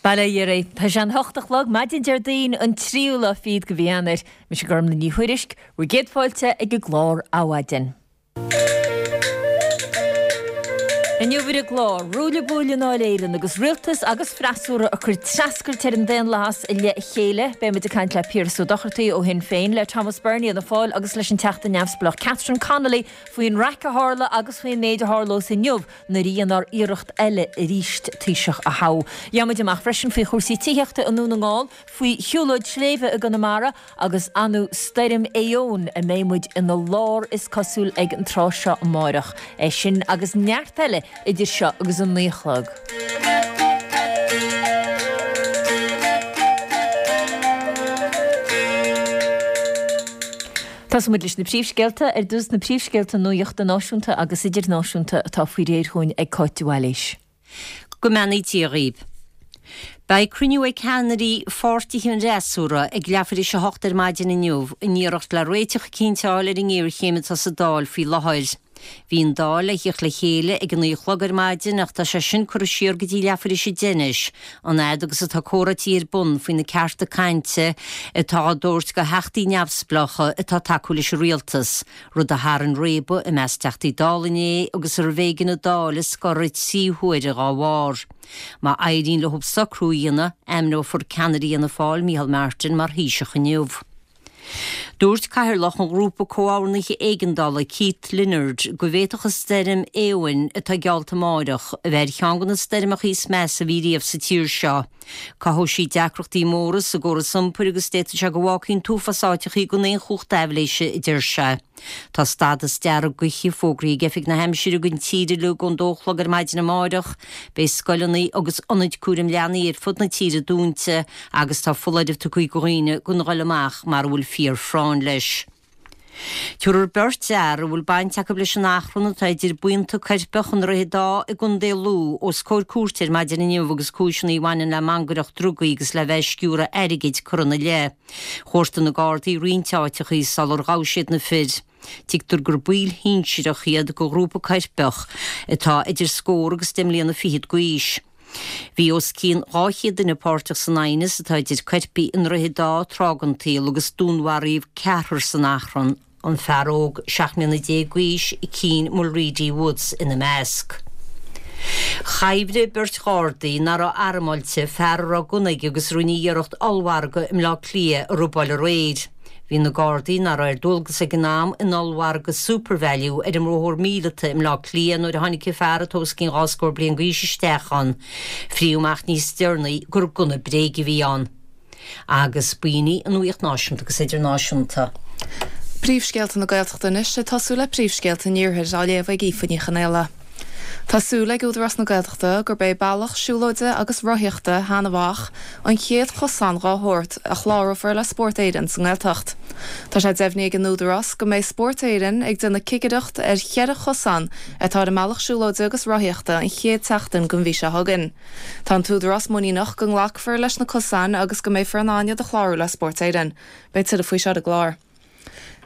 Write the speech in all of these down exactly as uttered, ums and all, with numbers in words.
Bail ó Dhia oraibh. Tá sé an hocht a chlog, maidin Déardaoin an tríú lá fichead de mhí Eanáir. Mise Gormlaith Ní Thuairisg, bhur gcéad fáilte ag an gclár Adhmhaidin. Inniu ar an gclár, ruaille buaille i nDáil Éireann agus rialtas agus freasúra ag cur treascairt ar an daonlathas i leith a chéile. Beidh muid ag caint le Piaras Ó Dochartaigh ó Shinn Féin, le Thomas Byrne Fhianna Fáil agus leis an Teachta Neamhspleách Catherine Connolly faoin raic a tharla agus faoin méid a tharlós inniu nuair a dhéanfar iarracht eile arís Taoiseach a thoghadh. Gheobhaidh muid amach freisin faoi chúrsaí tithíochta i nDún na nGall, faoi shiúlóid sléibhe i gConamara agus anú stoirm Éowyn a mbeidh muid ina lár is cosúil ag an tráth seo amáireach. É sin agus neart eile idir seo agus a naoi a chlog. Tosóidh muid leis na príomhscéalta. Ar dtús na príomhscéalta nuachta náisiúnta agus idirnáisiúnta atá faoi réir chugainn ag Cáit de Bhailís. Go mbeannaí Dia dhaoibh. Beidh cruinniú ag ceannairí pháirtithe an fhreasúra ag leathuair tar éis a hocht ar maidin inniu in iarracht le réiteach eicínt a fháil ar an ngéarchéim atá sa Dáil faoi láthair. Bhí an Dáil le thíocht le chéile ag a naoi a chlog ar maidin ach tá sé sin curtha siar go dtí leathuair tar éis a deich anois, an fhad agus atá comhráití ar bun faoi na cearta cainte atá á dtabhairt do theachtaí neamhspleácha atá ag tacú leis an rialtas, rud a tharraing réabadh i measc teachtaí Dála inné agus arbh éigean an Dáil a scoradh trí huaire dá bharr. Má éiríonn leo socrú a dhéanamh, ainmneofar ceannaire Fhianna Fáil, Micheál Martin, mar Thaoiseach inniu. Dúirt Cathaoirleach an Ghrúpa Comhordnaithe Éigeandála, Keith Leonard, go bhféadfadh an stoirm Éowyn, atá geallta amáireach, a bheith ar cheann de na stoirmeacha is measa a bhí riamh sa tír seo. Cothóidh sí deacrachtaí móra sa gcóras iompair agus d'fhéadfadh sé go bhfágfaí an t-uafás áiteachaí gan aon chumhacht aibhléise, a deir sé. Tá stádas dearg gaoithe fógraithe ag Oifig na hAimsire don tír uilig ón dó a chlog ar maidin amáireach. Beidh scoileanna agus ionaid cúraim leanaí ar fud na tíre dúnta agus tá foláireamh tugtha do dhaoine gan dhul amach mara bhfuil fíor-phráinn leis. Tabharfar beirt fhear a bhfuil baint acu leis an achrann atá idir buíonta coirpeach i nDroichead Átha i gContae Lú os comhair cúirte ar maidin inniu agus cúiseanna a bhaineann le mangaireacht drugaí agus le bheith ag sciúradh airgid curtha ina leith. Chuartaigh na Gardaí roinnt áiteachaí sular ghabh siad na fir. Tuigtear gur baill shinsearach iad de ghrúpa coirpeach atá idir scór agus deich mbliana fichead d'aois. Bhí os cionn dhá chéad duine páirteach san aighneas atá idir coirpigh i nDroichead Átha tráth den tsaol agus dúnmharaíodh ceathrar san achrann, an fear óg seacht mbliana déag d'aois, Cian Mulready Woods, ina measc. Chaimhligh beirt Ghardaí nach raibh armáilte fear a raibh gunna aige agus a rinne iarracht ollmhargadh i mBleá Cliath a robáil aréir. Bhí na Gardaí, nach raibh ar dualgas ag an am, in ollmhargadh SuperValu ar an mBóthar Míleata i mBleá Cliath nuair a tháinig an fear atá os cionn dhá scór bliain d'aois isteach ann. Frítheadh amach níos deireanaí gur gunna bréige a bhí ann. Agus b'in í an nuaíocht náisiúnta agus idirnáisiúnta. Príomhscéalta na Gaeltachta anois, ag tosú le príomhscéalta an Iarthair, á léamh ag Aoife Ní Chonaola. Tá súil ag Údarás na Gaeltachta gurb é bealach siúlóide agus rothaíochta Sheanadh Mhach an chéad chosán dhá shórt a chlárófar le Spórt Éireann sa nGaeltacht. Tá sé deimhnithe ag an Údarás go mbeidh Spórt Éireann ag déanamh cigireacht ar cheithre chosán atá ar an mbealach siúlóide agus rothaíochta an chéad tseachtain den mhí seo chugainn. Tá an tÚdarás muiníneach go nglacfar leis na cosáin agus go mbeifear in ann iad a chlárú le Spórt Éireann. Beidh tuilleadh faoi seo ar an gclár.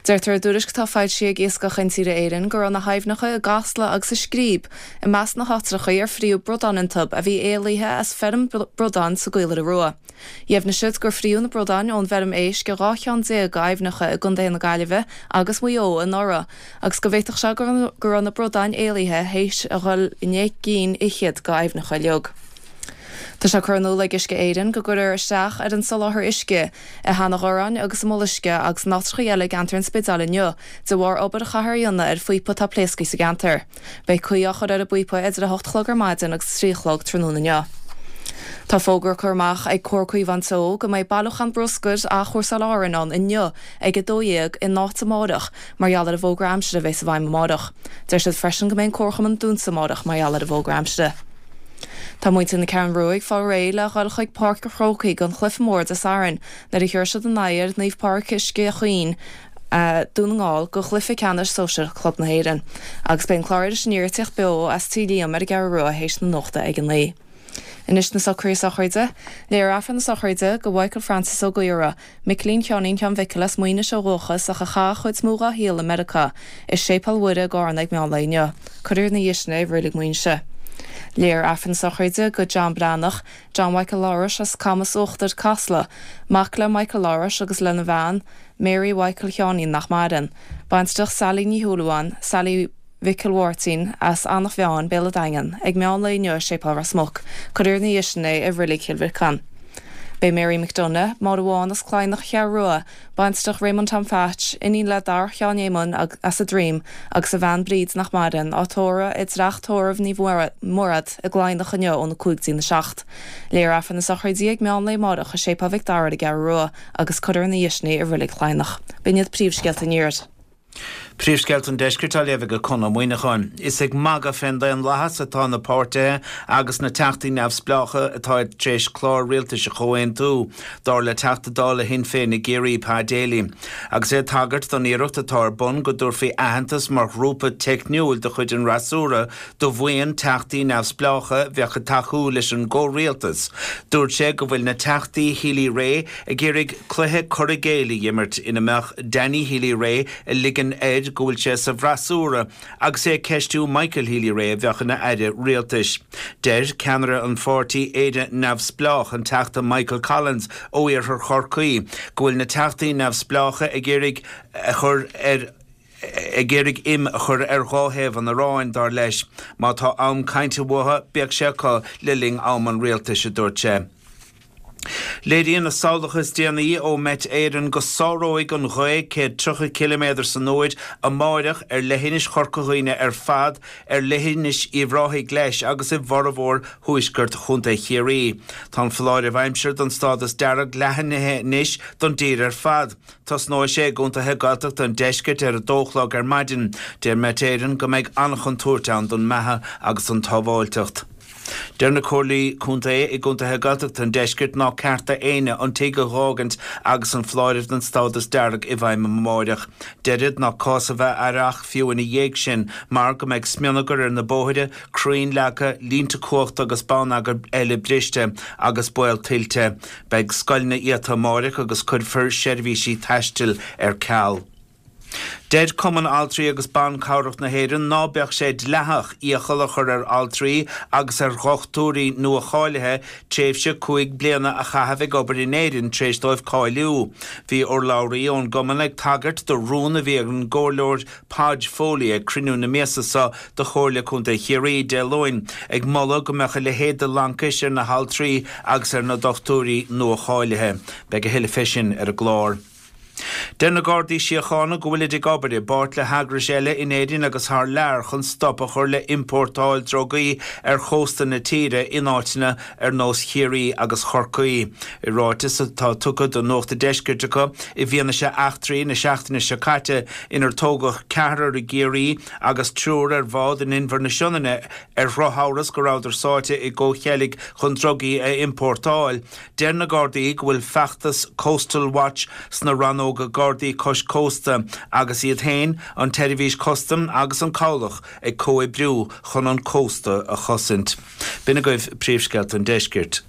Deirtear i dtuairisc atá foilsithe ag Iascach Intíre Éireann go raibh na haibhneacha i gCasla agus i Scríb i measc na háitreacha ar fríodh bradáin iontu a bhí éalaithe as feirm bradán sa gCaoláire Rua. Dheimhnigh siad gur fríodh na bradáin ón bhfeirm éisc i dhá cheann déag d'aibhneacha i gcontaetha na Gaillimhe agus Mhaigh Eo anuraidh agus go bhféadfadh sé go raibh na bradáin éalaithe théis a dhul i ndeich gcinn fhichead d'aibhneacha uilig. Tá sé curtha in iúl ag Uisce Éireann go gcuirfear isteach ar an soláthar uisce i Sheanadh Dhoráin agus i Mullaisce agus in áiteacha eile i gceantar an Spidéil inniu de bharr obair a chaithfear a dhéanamh ar phíopa atá pléasctha sa gceantar. Beidh caoi á chur ar an bpíopa idir a hocht a chlog ar maidin agus a trí a chlog tráthnóna inniu. Tá fógra curtha amach ag Comhar Caomhán Teo go mbeidh bailiúchán bruscair Athchúrsáil Árann ann inniu ag a dó dhéag in áit amárach mar gheall ar an bhfógra aimsire a bheas i bhfeidhm amárach. Deir siad freisin go mbeidh an comharchumann dúnta amárach mar gheall ar an bhfógra aimsire. Tá muintir na Ceathrún Rua ag fáil réidh le dhul chuig Páirc an Chrócaigh don chluiche mór Dé Sathairn nuair a thiúrfaidh siad a n-aghaidh ar Naomh Pádraig Uisce Chaoin, Dún na nGall, do chluiche ceannais sóisir Chlub na hÉireann. Agus beidh an clár Iris Aniar ag tíocht beo as Tí Liam ar an gCeathrú Rua théis na nuachta ag a naoi. Anois na socruithe sochraide. Léifear Aifreann na sochraide do Mhichael Francis Ó Gaora, Micilín Sheáinín Sheáin Mhicil as Maínis ó dhúchas ach a chaith an chuid is mó dhá shaol i Meiriceá, i Séipéal Mhuire i gCarna ag meán lae inniu. Cuirfear ina dhiaidh sin é i Reilig Mhaínse. Léifear Aifreann na sochraide do John Breathnach, John Michael Labhrais as Camas Uachtar Casla, mac le Michael Labhrais agus lena bhean, Mary Michael Sheáinín nach maireann. Baintreach Sally Ní Shúilleabháin, Sally Mhicil Mháirtín as Eanach Mheáin Béal an Daingin, ag meán lae inniu i Séipéal Ros Muc, cuirfear ina dhiaidh sin é i Reilig Chill Mhirceáin. Beidh Mary McDonagh, Máire Bhán as Cladhnach Cheathrú Rua, Baintreach Raymond Tom Phatch, iníon le Darach Sheáin Éamoinn as an Droim agus a bhean Bríd nach maireann, á tórramh i dteach tórraimh Naomh Murad i gCladhnach inniu óna cúig dtína seacht. Léifear Aifreann na sochraide ag meán lae amárach i Séipéal Mhic Dara ar an gCeathrú Rua agus cuirfear ina dhiaidh sin é i Reilig Chladhnach. B'in iad príomhscéalta an Iarthair. Príomhscéalta an Deiscirt á léamh ag Conn Ó Muíneacháin. Is ag magadh fén daonlathas atá na páirtithe agus na teachtaí neamhspleácha atá tar éis clár rialtais a chomhaontú, dar le Teachta Dála Shinn Féin i gCiarraí Pa Daly. Agus é ag tagairt don iarracht atá ar bun go dtabharfaí aitheantas mar ghrúpa teicniúil de chuid an fhreasúra do bhuíon teachtaí neamhspleácha bheadh ag tacú leis an gcomhrialtas. Dúirt sé go bhfuil na teachtaí Healy-Rae ag iarraidh cluiche cur i gcéill a imirt ina mbeadh Danny Healy-Rae ag ligean air go bhfuil sé sa bhfreasúra agus é ag ceistiú Michael Healy-Rae a bheadh ina aire rialtais. Deir ceannaire an pháirtí Éire Neamhspleách an Teachta Michael Collins ó Iarthar Chorcaí go bhfuil na teachtaí neamhspleácha ag iarraidh a chur ar ag iarraidh im a chur ar dhá thaobh an aráin dar leis. Má tá am cainte uathu bíodh sé acu le linn am an rialtais a dúirt sé. Léiríonn na samhlacha is déanaí ó Met Éireann go sáróidh an ghaoth céad tríocha ciliméadar san uair amáireach ar leithinis Chorca Dhuibhne ar fad ar leithinis Uíbh Ráthaigh leis agus i bhformhór thuaisceart Chontae Chiarraí. Tá an foláireamh aimsire don stádas dearg leathnaithe anois don dtír ar fad. Tosnóidh sé i gcontaetha Gaeltachta an deiscirt ar a dó a chlog ar maidin. Deir Met Éireann go mbeidh an-chontúirt ann don mbeatha agus don tsábháilteacht. Deir na Comhairlí Contae i gcontaetha Gaeltachta an deiscirt ná ceart d'éinne an tigh a dh'fhágaint agus an foláireamh den stádas dearg i bhfeidhm amáireach. Deirid ná cás a bheith aireach fiú ina dhiaidh sin mar go mbeidh smionagar ar na bóithre, crainn leagtha, línte cumhachta agus bonneagar eile briste agus baol tuilte. Beidh scoileanna iata amáireach agus cuirfear seirbhísí taistil ar ceal. Deir Cumann Altraí agus Ban Cabhrach na hÉireann ná beadh sé dleathach iachall a chur ar altraí agus ar dhochtúirí nua-cháilithe tréimhse cúig bliana a chaitheamh ag obair in Éirinn tar éis dóibh cáiliú. Bhí urlabhraí ón gcumann ag tagairt do rún a bhí ag an gcomhairleoir Podge Foley ag cruinniú na míosa seo de Chomhairle Contae Chiarraí Dé Luain, ag moladh go mbeadh a leithéid de laincis ar na haltraí agus ar na dochtúirí nua-cháilithe. Beidh a thuilleadh fé sin ar an gclár. Deir na Gardaí Síochána go bhfuilid ag obair i bpáirt le heagrais eile in Éirinn agus thar lear chun stop a chur le iompórtáil drugaí ar chósta na tíre in áiteanna ar nós Chiarraí agus Chorcaí. I ráiteas atá tugtha do Nuacht an Deiscirt acu i bhfianaise eachtraí na seachtaine seo caite inar tógadh ceathrar i gCiarraí agus triúr ar bhád in Inbhear na Sionainne ar dhrochamhras go rabhadar sáite i gcomhcheilg chun drugaí a iompórtáil. Deir na Gardaí go bhfuil feachtas Coastal Watch sna rannóga Gardaí cois cósta agus iad féin, an tSeirbhís Custaim agus an Cabhlach ag comhoibriú chun an cósta a chosaint. B'in agaibh príomhscéalta an deiscirt.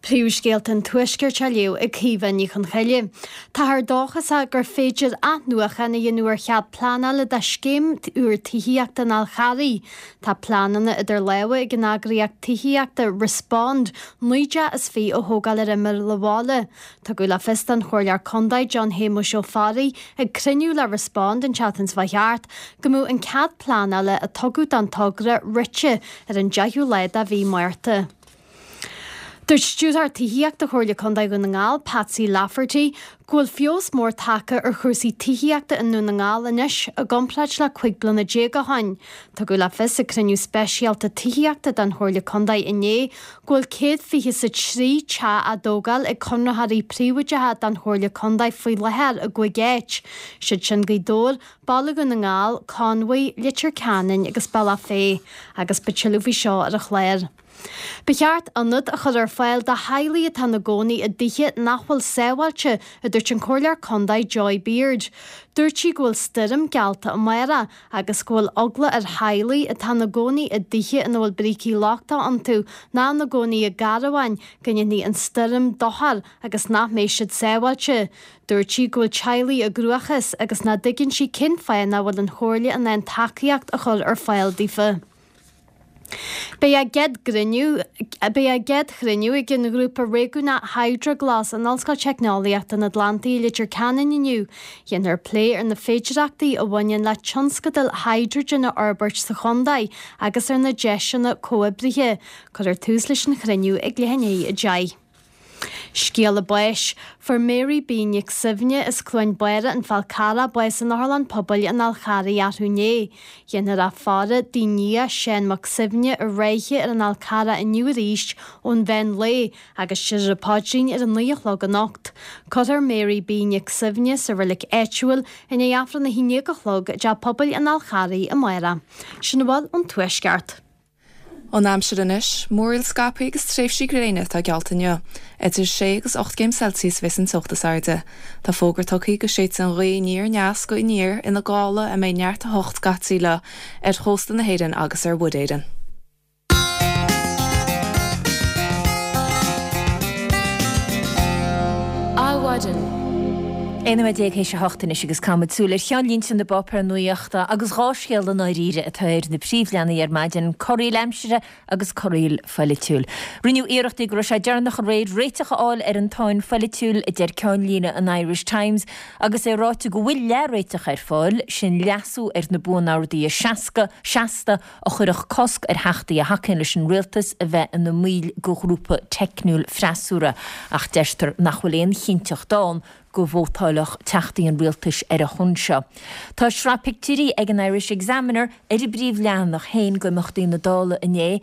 Príomhscéalta an Tuaiscirt á léamh ag Caoimhe Ní Chonchoille. Táthar dóchasach gur féidir athnuachan a dhéanamh ar chead pleanála do scéim úr tithíochta an Fháil Charraigh. Tá pleananna idir lámha ag an eagraíocht tithíochta Respond naoi dteach is fiche a thógáil ar imeall an bhaile. Tugadh le fios don Chomhairleoir Contae John Shéamuis Ó Fearraigh ag cruinniú le Respond an tseachtain seo thart go mbeadh an cead pleanála a tugadh don togra rite ar an deichiú lá de mhí Márta. Dúirt Stiúrthóir Tithíochta Chomhairle Contae Dhún na nGall, Patsy Lafferty, go bhfuil feabhas mór tagtha ar chúrsaí tithíochta i nDún na nGall anois i gcomparáid le cúig bliana déag ó shin. Tugadh le fios ag cruinniú speisialta tithíochta den Chomhairle Contae inné go bhfuil céad fiche is a trí teach á dtógáil ag conraitheoirí príobháideacha don Chomhairle Contae faoi láthair i gcúig áit, siad sin Gaoth Dobhair, Baile Dhún na nGall, Conmhaigh, Leitir Ceanainn agus Bealach Féich, agus beidh tuilleadh faoi seo ar an chlár. Ba cheart ionad a chur ar fáil do theaghlaigh atá ina gcónaí i dtithe nach bhfuil sábháilte, a dúirt an Comhairleoir Contae Joy Beard. Dúirt sí go bhfuil stoirm geallta amárach agus go bhfuil eagla ar theaghlaigh atá ina gcónaí i dtithe ina bhfuil brící lochtacha iontu ná ina gcónaí i gcarabháin go ndéanfaidh an stoirm dochar agus nach mbeidh siad sábháilte. Dúirt sí go bhfuil teaghlaigh i gcruachás agus nach dtuigeann sí cén fáth nach bhfuil an Chomhairle in ann tacaíocht a chur ar fáil daofa. Beidh a gcéad gcruinniú Beidh a gcéad chruinniú ag an ghrúpa réigiúnach HydroGlas in Ollscoil Teicneolaíochta an Atlantaigh i Leitir Ceanainn inniu. Déanfar plé ar na féidearthachtaí a bhaineann le tionscadail hidrigine a fhorbairt sa chontae agus ar na deiseanna comhoibrithe. Cuirfear tús leis an chruinniú ag leath i ndiaidh a deich. Scéala báis. Fuair Mary B Nic Suibhne as Cluain Bára an Fál Carrach bás in Otharlann Pobail an Fháil Charraigh arú inné. Déanfar í a faire dá nia Seán Mac Suibhne i Ráithe ar an Fhál Carrach inniu arís ón mheán lae agus déarfar an paidrín ar a naoi a chlog anocht. Cuirfear Mary B Nic Suibhne sa reilig áitiúil i ndiaidh Aifreann a haon déag a chlog i dTeach Pobail an Fháil Charraigh amárach. Sin a bhfuil ón Tuaisceart. An aimsir anois, múraíl scaipthe agus tréimhsí gréine atá geallta inniu. Idir sé agus ocht gcéim Celsius a bheas an teocht is airde. Tá fógra tugtha go séidfidh an ghaoth aniar aneas go aniar ina gála a mbeidh neart a hocht scaití léi ar chósta na hÉireann agus ar Mhuir Éireann. Adhmhaidin. Aon nóiméad déag théis a hocht anois agus caithfimid súil ar cheannlínte na bpáipéar nuachta agus dhá scéal i ndáiríre atá ar na príomhleathanaigh ar maidin, corraíl aimsire agus corraíl pholaitiúil. Rinneadh iarrachtaí go raibh sé deireanach aréir réiteach a fháil ar an tsáinn pholaitiúil, a deir ceannlíne an Irish Times, agus é ráite go bhfuil leath-réiteach ar fáil, sin leasú ar na Buan-Orduithe seasca, seasta a chuirfeadh cosc ar theachtaí a thacaíonn leis an rialtas a bheith ina mbaill de ghrúpa teicniúil freasúra, ach deirtear nach bhfuil aon chinnteacht ann go vótálfadh teachtaí an rialtais ar a shon seo. Tá sraith pictiúirí ag an Irish Examiner ar a bpríomhleathanach féin d'imeachtaí na Dála inné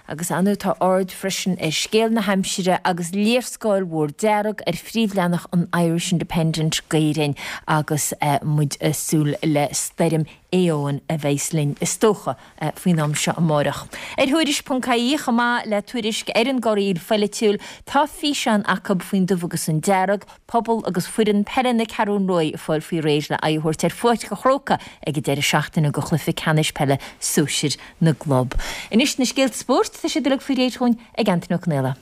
agus ar ndóigh tá aird freisin ar scéal na haimsire agus léarscáil mhór dearg ar phríomhleathanach an Irish Independent d'Éirinn agus muid ag súil le stoirm Éowyn a bheas linn is dócha faoin am seo amárach. Ar Thuairisc ponc ie chomh maith le tuairisc ar an gcorraíl pholaitiúil tá físeán acu faoin dubh agus an dearg, pobal agus foireann peile na Ceathrún Rua ag fáil faoi réir le aghaidh a thabhairt ar Pháirc an Chrócaigh ag an deireadh seachtaine do chluiche ceannais peile sóisir na gclub. Anois na scéalta spóirt, tá siad uilig faoi réir dhúinn ag Antaine Ó Conaola.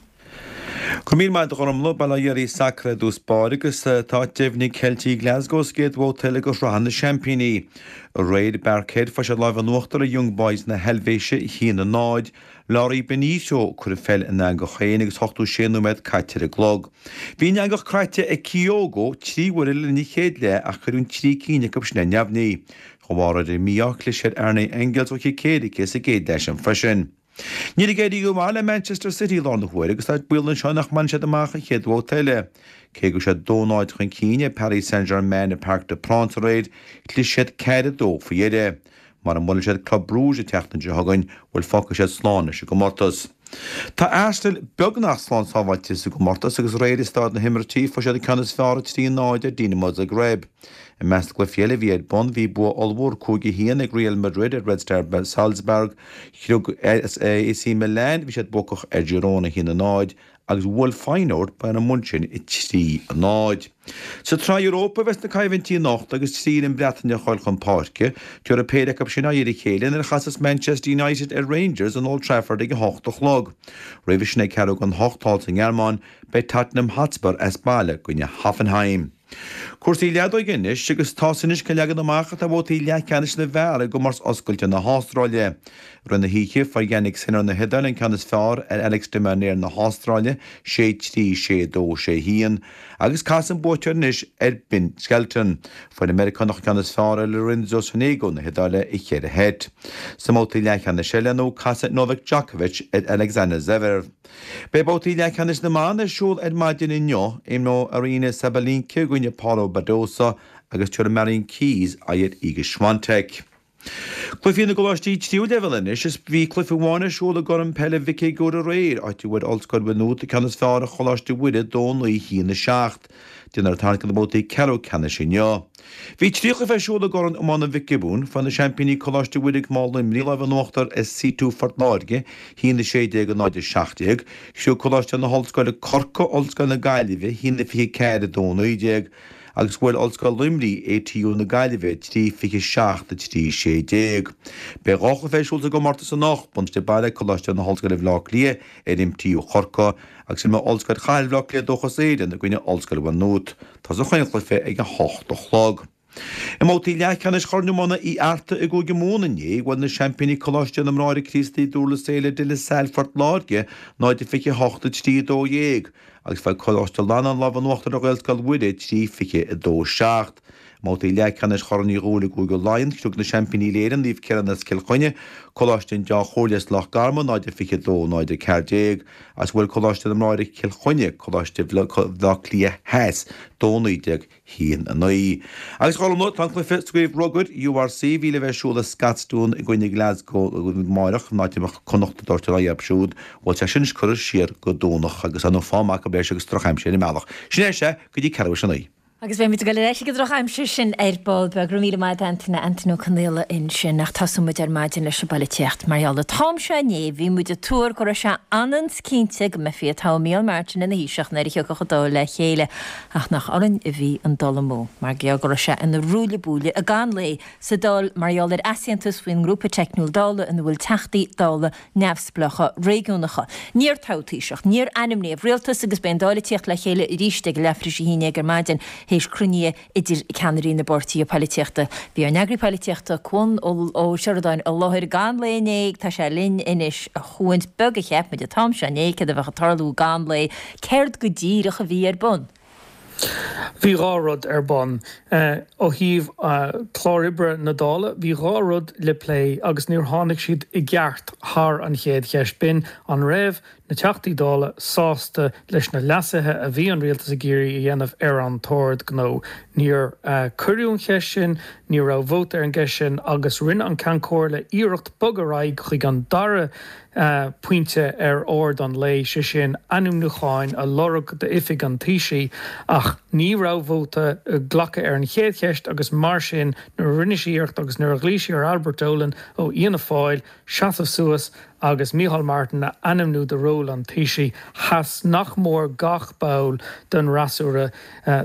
Go raibh míle maith agat a Ghormfhlaith, bail ó Dhia ar sacar i dtús báire agus tá deimhnithe ag Ceiltigh Glasgow sa gcéad bhabhta eile de Shraith na Seaimpíní. Aréir i bParkhead fuair siad lámh in uachtar ar Young Boys na hEilvéise a haon a náid. Laurie Benito ag cur an pheil ina eangach féin agus ochtó sé nóiméad caite ar an gclog. Bhí an eangach croite ag Kyogo trí huaire le linn an chéad leath ach cuireadh an trí cinn acu sin ar neamhní. De bharr ar an mí-ádh chlis ar Arne Engels ó chic éirice sa gcéad leath sin freisin. Níl ag éirí go maith le Manchester City i láthair na huaire agus tá baol anseo nach mbainfidh siad amach an chéad bhabhta eile. Cé go raibh siad dó náid chun cinn ar Paris Saint-Germain i Parc des Princes aréir, chlis siad ceathair a dó faoi dheireadh. Mura mbuailfidh siad Club Brugge an tseachtain seo chugainn, bhuel fágfaidh siad slán leis an gcomórtas. Tá Arsenal beagnach slán sábháilte sa gcomórtas agus aréir i Staid na hImirtí fuair siad an ceann is fearr a trí náid ar Dinamo Zagreb. I measc na gcluichí eile a bhí ar bun bhí bua ollmhór cúig a haon ag Real Madrid ar Red Star Salzburg, Chrioc A C Milan, bhí siad buacach ar Girona a haon a náid agus bhuail Feyenoord Bayern München a trí a náid. Sa tSraith Europa a bheas na coimhlintí anocht agus trí fhoireann Breataine ag gabháil chun páirce. Tabharfaidh péire acu sin aghaidh ar a chéile nuair a chasas Manchester United ar Rangers in Old Trafford ag a hocht a chlog. Roimhe sin ag ceathrú don hocht thall sa nGearmáin beidh Tottenham Hotspur as baile i gcoinne Hoffenheim. Cúrsaí leadóige anois agus tá's anois cén leagan amach atá ar bhabhtaí leathcheannais na bhfear i gcomórtas oscailte na hAstráile. I rith na hoíche fuair Jannik Sinner na hIodáile an ceann is fearr ar Alex de Minaur na hAstráile, sé trí, sé dó, sé haon, agus casfaidh an buaiteoir anois ar Ben Shelton. Fuair an Meiriceánach an ceann is fearr ar Lorenzo Sonego na hIodáile i cheithre sheit. Sa mbabhta leathcheannais eile nó casfaidh Novak Djokovic ar Alexander Zverev. Beidh babhtaí leathcheannais na mban ar siúl ar maidin inniu. Imreoidh Aryna Sabalenka i gcoinne Paula Badosa agus tabharfaidh Marion Keys aghaidh ar Iga Swiatek. Cluichí na gcoláistí tríú leibhéal anois is bhí cluiche amháin ar siúl i gCorn Peile Mhic Éadaigh aréir, áit a bhfuair Ollscoil Mhaigh Nuad an ceann is fearr ar Choláiste Mhuire dó naoi haon a seacht. Déanfar tarraingt do na babhtaí ceathrú ceannais inniu. Bhí trí chluiche ar siúl i gCorn Iomána Mhic Giobúin. Fuair na seaimpíní Coláiste Mhuire gan Mhá Luimnigh lámh in uachtar ar C two Phort Láirge, haon a sé déag a náid a seacht déag. Chriog Coláiste na hOllscoile Corcaigh Ollscoil na Gaillimhe, haon a fiche ceathair a dó naoi déag, agus bhuail Ollscoil Luimnigh A T U na Gaillimhe trí fiche seacht a trí sé déag. Beidh dhá chluiche ar siúl sa gcomórtas anocht, buntáiste baile Coláiste na hOllscoile Bhaile Átha Cliath ar M T U Chorcaí agus imreoidh Ollscoil Chathair Bhaile Átha Cliath Dúchas Éireann i gcoinne Ollscoil Mhaigh Nuad. Tosóidh an cluiche ag a hocht a chlog. I mbabhtaí leathcheannais Chorn Iomána Uí Fhearta i gCúige Mumhan inné, bhuail na seaimpíní Coláiste na mBráithre Críostaí Durlas Éile De La Salle Phort Láirge, náid a fiche a hocht, a trí a dó dhéag, agus fuair Coláiste Fhlannáin lámh in uachtar ar Ghaelscoil Mhuire, trí fiche a dó seacht. I mbabhtaí leathcheannais Chorn Uí Dhubhghaill i gCúige Laighean, shroich na seaimpíní Uile-Éireann, Naomh Ciarán as Cill Chainnigh, Coláiste an Dá Chomhairle as Loch Garman, náid a fiche a dó, náid a ceathair déag, agus bhuail Coláiste na mBráithre Cill Chainnigh, Coláiste Bhaile Átha Cliath Theas, dó naoi déag, haon a naoi. Agus a Ghormfhlaith, tá an cluiche sa gcraobh rugair, URC, a bhí le bheith ar siúl i Scotstoun i gcoinne Glasgow amáireach, an áit a mbeadh Connacht ag tabhairt a n-aghaidh orthu siúd, bhuel tá sin anois curtha siar go Domhnach agus tá an fáth maith acu leis agus drochaimsir ar an mbealach. Sin é sea go dtí ceathrú théis a naoi. Agus beidh muid ag dul ar ais ag an drochaimsir sin ar ball beag. Go raibh míle maith agat Antaine, Antaine Ó Conaola ansin. Ach tosóidh muid ar maidin leis an bpolaitíocht. Mar gheall an t-am seo inné bhí muid ag tuar go raibh sé ionann 's cinnte go mbeifí ag toghadh Micheál Martin ina Thaoiseach nuair a thiocfadh an Dáil le chéile. Ach nach orainn a bhí an dul amú. Mar gheall go raibh sé ina ruaille buaille i gcaitheamh an lae sa Dáil mar gheall ar easaontas faoin ngrúpa teicniúil Dála ina bhfuil teachtaí Dála neamhspleácha réigiúnacha. Níor toghadh Taoiseach, níor ainmníodh rialtas agus beidh an Dáil ag tíocht le chéile arís ag leathuair tar éis a haon déag ar maidin théis cruinnithe idir ceannairí na bpáirtithe polaitíochta. Bhí ár n-eagraí polaitíochta, Cuan Ó Seireadáin i láthair i gcaitheamh an lae inné, tá sé linn anois a Chuain. Beag a cheap muid an t-am seo inné céard a bheadh ag tarlú i gcaitheamh an lae, céard go díreach a bhí ar bun? Bhí dhá rud ar bun. Ó thaobh clár oibre na Dála, bhí dhá rud le plé agus níor tháinig siad i gceart thar an chéad cheist. B'in an raibh na Teachtaí Dála sásta leis na leasuithe a bhí an rialtas ag iarraidh a dhéanamh ar an tOrd Gnó. Níor cuireadh an cheist sin, ní raibh vóta ar an gceist sin agus rinne an Ceann Comhairle iarracht bogadh ar aghaidh chuig an dara pointe ar ord an lae, sé sin ainmniúcháin a lorg d'oifig an Taoisigh, ach ní raibh vóta glactha ar an chéad cheist agus mar sin nuair a rinne sí iarracht agus nuair a ghlaoigh sí ar Albert Dolan ó Fhianna Fáil seasamh suas agus Micheál Martin a ainmniú do ról an Taoisigh, sheas nach mór gach ball den fhreasúra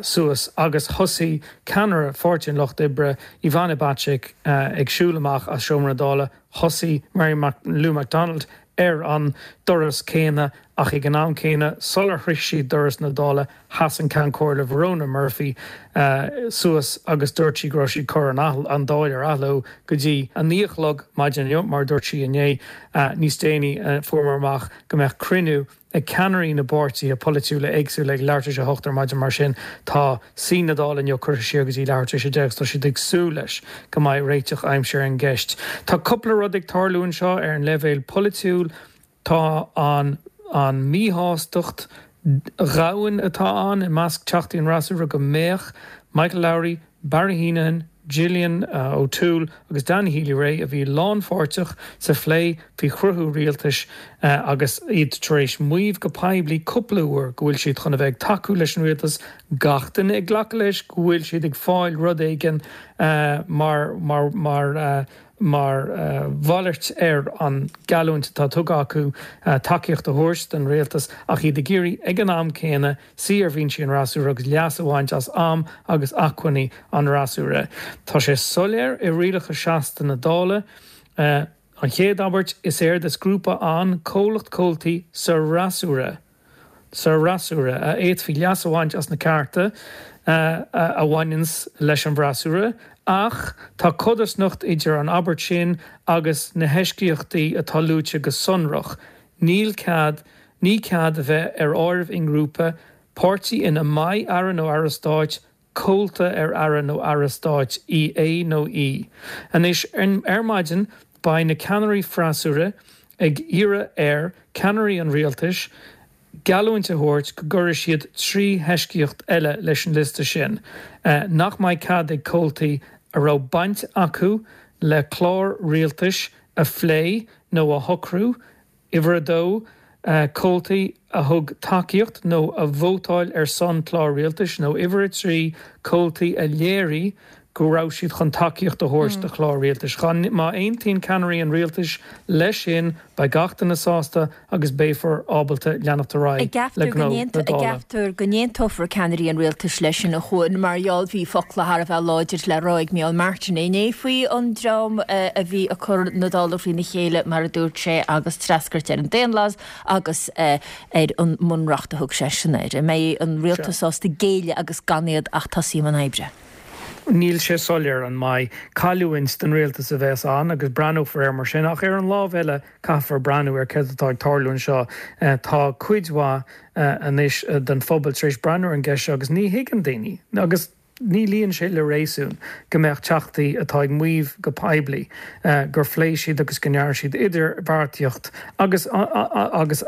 suas agus thosaigh ceannaire Pháirtí an Lucht Oibre, Ivana Bacik, ag siúl amach as seomra na Dála. Thosaigh Mary Lou McDonald ar an doras céanna ach ag an am céanna, sular shroich siad doras na Dála, sheas an Ceann Comhairle Verona Murphy suas agus dúirt sí go raibh sí ag cur an Dáil ar athló go dtí a naoi a chlog maidin inniu, mar a dúirt sí inné. Níos déanaí fuaireamar amach go mbeadh cruinniú ag ceannairí na bpáirtithe polaitiúla éagsúla ag leathuair tar éis a hocht ar maidin. Mar sin, tá suí na Dála inniu curtha siar go dtí leathuair tar éis a deich agus tá siad ag súil leis go mbeidh réiteach aimsithe ar an gceist. Tá cúpla rud ag tarlú anseo ar an leibhéal polaitiúil. Tá an an mhíshástacht dhomhain atá ann i measc Teachtaí an fhreasúra go mbeadh Michael Lowry, Barry Heneghan, Gillian O'Toole agus Danny Healy-Rae, a bhí lánpháirteach sa phlé faoi chruthú rialtais agus iad tar éis maíomh go poiblí cúpla uair go bhfuil siad chun a bheith ag tacú leis an rialtas, gach duine ag glacadh leis go bhfuil siad ag fáil rud éigin mar mar mar mar mhalairt ar an gheallúint atá tugtha acu tacaíocht a thabhairt don rialtas ach iad ag iarraidh ag an am céanna suí ar bhinsí an fhreasúra agus leas a bhaint as am agus acmhainní an fhreasúra. Tá sé soiléir i rialacha seasta na Dála, an chéad abairt, is éard is grúpa ann comhlacht comhaltaí sa fhreasúra. sa fhreasúra, a fhéadfaí leas a bhaint as na cearta a bhaineanns leis an bhfreasúra, ach tá codarsnacht idir an abairt sin agus na heisceachtaí atá luaite go sonrach, níl cead, ní cead a bheith ar áireamh i ngrúpa páirtí ina mbeidh Aire nó Aire Stáit, comhalta ar Aire nó Aire Stáit í, é nó í. Anois, ar maidin, beidh na ceannairí freasúra ag iarraidh ar cheannairí an rialtais geallúint a thabhairt go gcuirfidh siad trí heisceacht eile leis an liosta sin, nach mbeidh cead ag comhaltaí a raibh baint acu le clár rialtais a phlé nó a shocrú, uimhir a dó, comhaltaí a thug tacaíocht nó a vótáil ar son clár rialtais, nó uimhir a trí, comhaltaí a léirigh go raibh siad chun tacaíocht a thabhairt do chlár rialtais. Má aontaíonn ceannairí an rialtais leis sin, beidh gach duine sásta agus beifear ábalta leanacht ar aghaidh le gnó na Dála. Ceaptar go n-aontófar ceannairí an rialtais leis sin, a Chuain, mar gheall bhí focla thar a bheith láidir le rá ag Micheál Martin inné faoi an dream a bhí ag cur na Dála thrína chéile, mar a dúirt sé, agus treascairt ar an daonlathas agus ar an mbunreacht a thug seisean air. An mbeidh an rialtas sásta géilleadh agus gan iad ach tosaí i mbun oibre? Níl sé soiléir an mbeidh cailliúint don rialtas a bheas ann agus breathnófar air mar sin, ach ar an lámh eile caithfear breathnú ar céard atá ag tarlú anseo. Tá cuid mhaith anois den phobal tar éis breathnú ar an gceist seo agus ní thuigeann daoine, agus ní luíonn sé le réasún, go mbeadh teachtaí atá ag maíomh go poiblí gur phléigh siad agus go ndearna siad idirbheartaíocht agus agus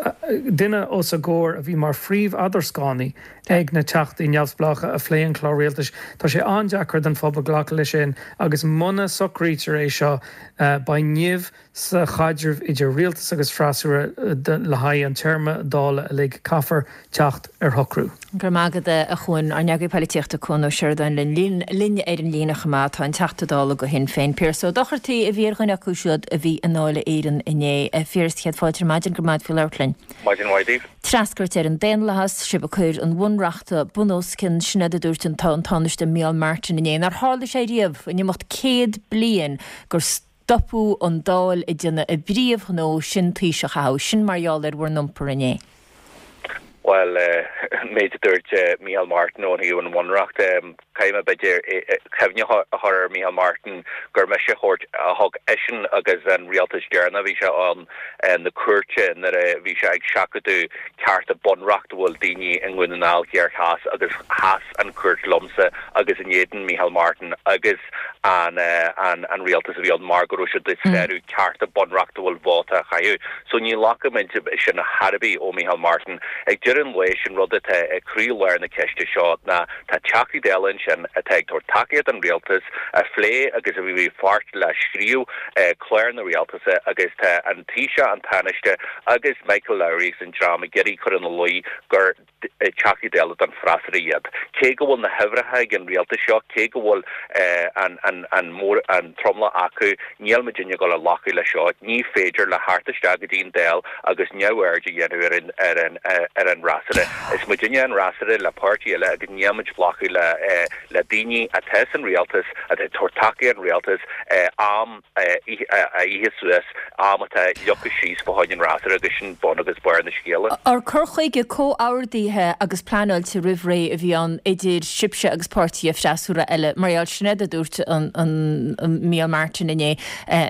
duine os a gcomhair a bhí mar phríomh-eadarscánaí ag na teachtaí neamhspleácha a phléigh an clár rialtais. Tá sé an-deacair don phobal glacadh leis sin agus muna socraítear é seo beidh nimh sa chaidreamh idir rialtas agus freasúra le haghaidh an téarma Dála uilig. Caithfear teacht ar shocrú. Go raibh maith agat a Chuain. Ár n-eagraí polaitíochta Cuan Ó Seireadáin linn linn ar an líne chomh maith. Tá an Teachta Dála do Shinn Féin, Piaras Ó Dochartaigh, a bhí ar dhuine acu siúd a bhí i nDáil Éireann inné. A Phiarais, céad fáilte ar maidin, go raibh maith agat faoi labhairt linn. Maidin mhaith daoibh. Treascairt ar an daonlathas, sibh ag cur an Bhunreachta bunoscionn, sin é a dúirt an Tánaiste Micheál Martin inné. Nár tharla sé riamh in imeacht céad bliain gur stopadh an Dáil ag déanamh a bpríomhghnó, sin Taoiseach a thoghadh. Sin mar gheall ar bhur n-iompar inné. Bhuel, an méid a dúirt Micheál Martin ó thaobh an Bhunreacht, caithfidh mé b'fhéidir cuimhne a chur ar Micheál Martin gur mise a thabhairt, a thug eisean agus an rialtas deireanach a bhí sé ann na cúirte nuair a bhí sé ag seachadadh cearta bunreachtúil daoine i nDún na nGall Thiar Theas agus sheas an chúirt liomsa agus in éadan Micheál Martin agus an an rialtas a bhí ann mar go raibh siad ag sárú cearta bunreachtúil vóta a chaitheamh. So ní ghlacfaimid sin ar chor ar bith ó Micheál Martin. Ag deireadh an lae, sin rud atá ag croí-lár na ceiste seo ná tá Teachtaí Dála ansin atá ag tabhairt tacaíocht don rialtas, a phléigh agus a bhí páirt le scríobh clár na rialtasa agus tá an Taoiseach, an Tánaiste agus Michael Lowry agus an dream ag iarraidh cur ina luí gur Teachtaí Dála don freasúra iad. Cé go bhfuil na huimhreacha ag an rialtas seo, cé go bhfuil an an mór an tromlach acu, níl muidinne ag dul a ghlacadh leis seo. Ní féidir leo theacht isteach go dtí an Dáil agus neamhaird a dhéanamh ar an ar an ar an fhreasúra. Is muidinne an fhreasúra le páirtí eile agus níl muid ag glacadh le le daoine atá san rialtas, atá ag tabhairt tacaíocht an rialtas, am a ithe suas, am atá leagtha síos fá choinne an fhreasúra agus sin bun agus barr na scéala. Ar cur chuige comhordaithe agus pleanáilte roimh ré a bhí ann idir sibhse agus páirtithe freasúra eile, mar gheall, sin é a dúirt an Micheál Martin inné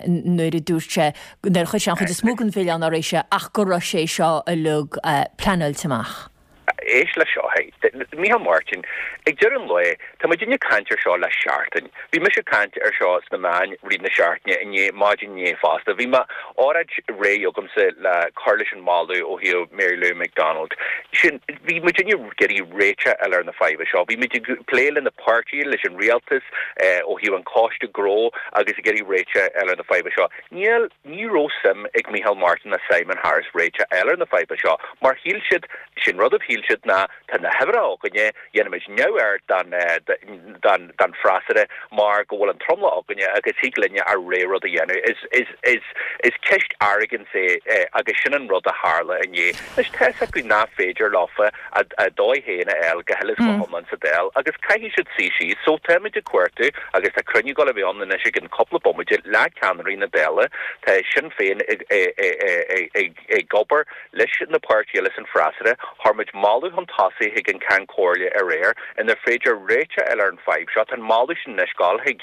nuair a dúirt sé, nuair a chuir sé an chuid is mó den mhilleán ar éise ach go raibh sé seo uilig pleanáilte amach. Éist leis seo, hey. Micheál Martin, Ag deireadh an lae, tá muidinne ag caint ar seo le seachtain. Bhí mise ag caint ar seo sna meáin rith na seachtaine, inné, maidin inné fosta. Bhí m'óráid réidh agamsa le cur leis an moladh ó thaobh Mary Lou McDonald. Sin, bhí muidinne ag iarraidh réiteach a fháil ar na fadhba seo. Bhí muid ag plé le na páirtithe, leis an rialtas, ó thaobh an coiste gnó agus ag iarraidh réiteach a fháil ar na fadhba seo. Níl, ní raibh suim ag Micheál Martin ná Simon Harris réiteach a fháil ar na fadhba seo mar shíl siad, sin rud a shíl siad ná tá na huimhreacha againne, dhéanfaimid neamhaird den, den, den freasúra mar go bhfuil an tromlach againne agus thig linne ár rogha rud a dhéanamh. Is, is, is, is ceist arrogance é agus sin an rud a tharla inné. Anois tá fhios acu nach féidir leofa a, a dóigh féin a fháil go huile is go hiomlán sa Dáil agus caithfidh siad suí síos. So táimid ag cuartú agus tá cruinniú ag dul a bheith ann anois i gceann cúpla bomaite le ceannairí na Dála. Tá Sinn Féin ag, ag, ag, ag, ag obair leis na páirtithe eile san freasúra. Chuir muid moladh chun tosaigh chuig an Ceann Comhairle aréir inar féidir réiteach a fháil ar an fadhb seo. Tá an moladh sin anois ag dul chuig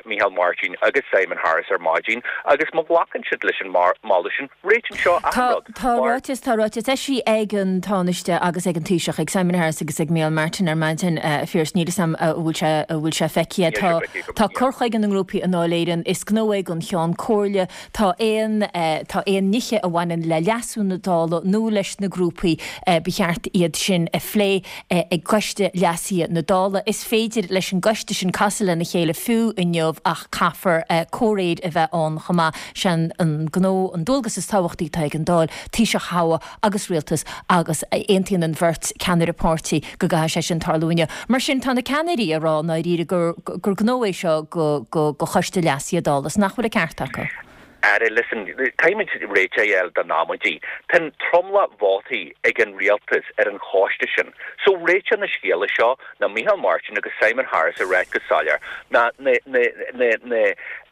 Micheál Martin agus Simon Harris ar maidin agus má ghlacann siad leis an moladh sin, réitíonn seo achan rud. Tá ráiteas, tá ráiteas eisithe ag an Tánaiste agus ag an Taoiseach, ag Simon Harris agus ag Micheál Martin ar maidin, a Phiarais, níl 'fhios a'm an bhfuil sé, an bhfuil sé feicthe. Tá, tá cur chuige na ngrúpaí i nDáil Éireann, is gnó é don Cheann Comhairle, Tá aon tá aon nithe a bhaineann le leasú na Dála nó leis na grúpaí, ba cheart iad sin a phlé ag Coiste Leasaithe na Dála. Is féidir leis an gcoiste sin casadh lena chéile fiú inniu ach caithfear comhréir a bheith ann chomh maith. Sé an gnó, an dualgas is tábhachtaí atá ag an Dáil, Taoiseach a thoghadh agus rialtas agus aontaíonn an bheirt ceannaire páirtí go gcaithfidh sé sin tarlú inniu. Mar sin tá na ceannairí ag rá i ndáiríre gur gur gnó é seo go go go Choiste Leasaithe Dála is nach bhfuil an ceart acu. Ara, listen, caithfimid réiteach a fháil don amaidí. Tá an tromlach vótaí ag an rialtas ar an choiste sin. So réiteach na scéala seo ná Micheál Martin agus Simon Harris a ráit go soiléir ná na na na na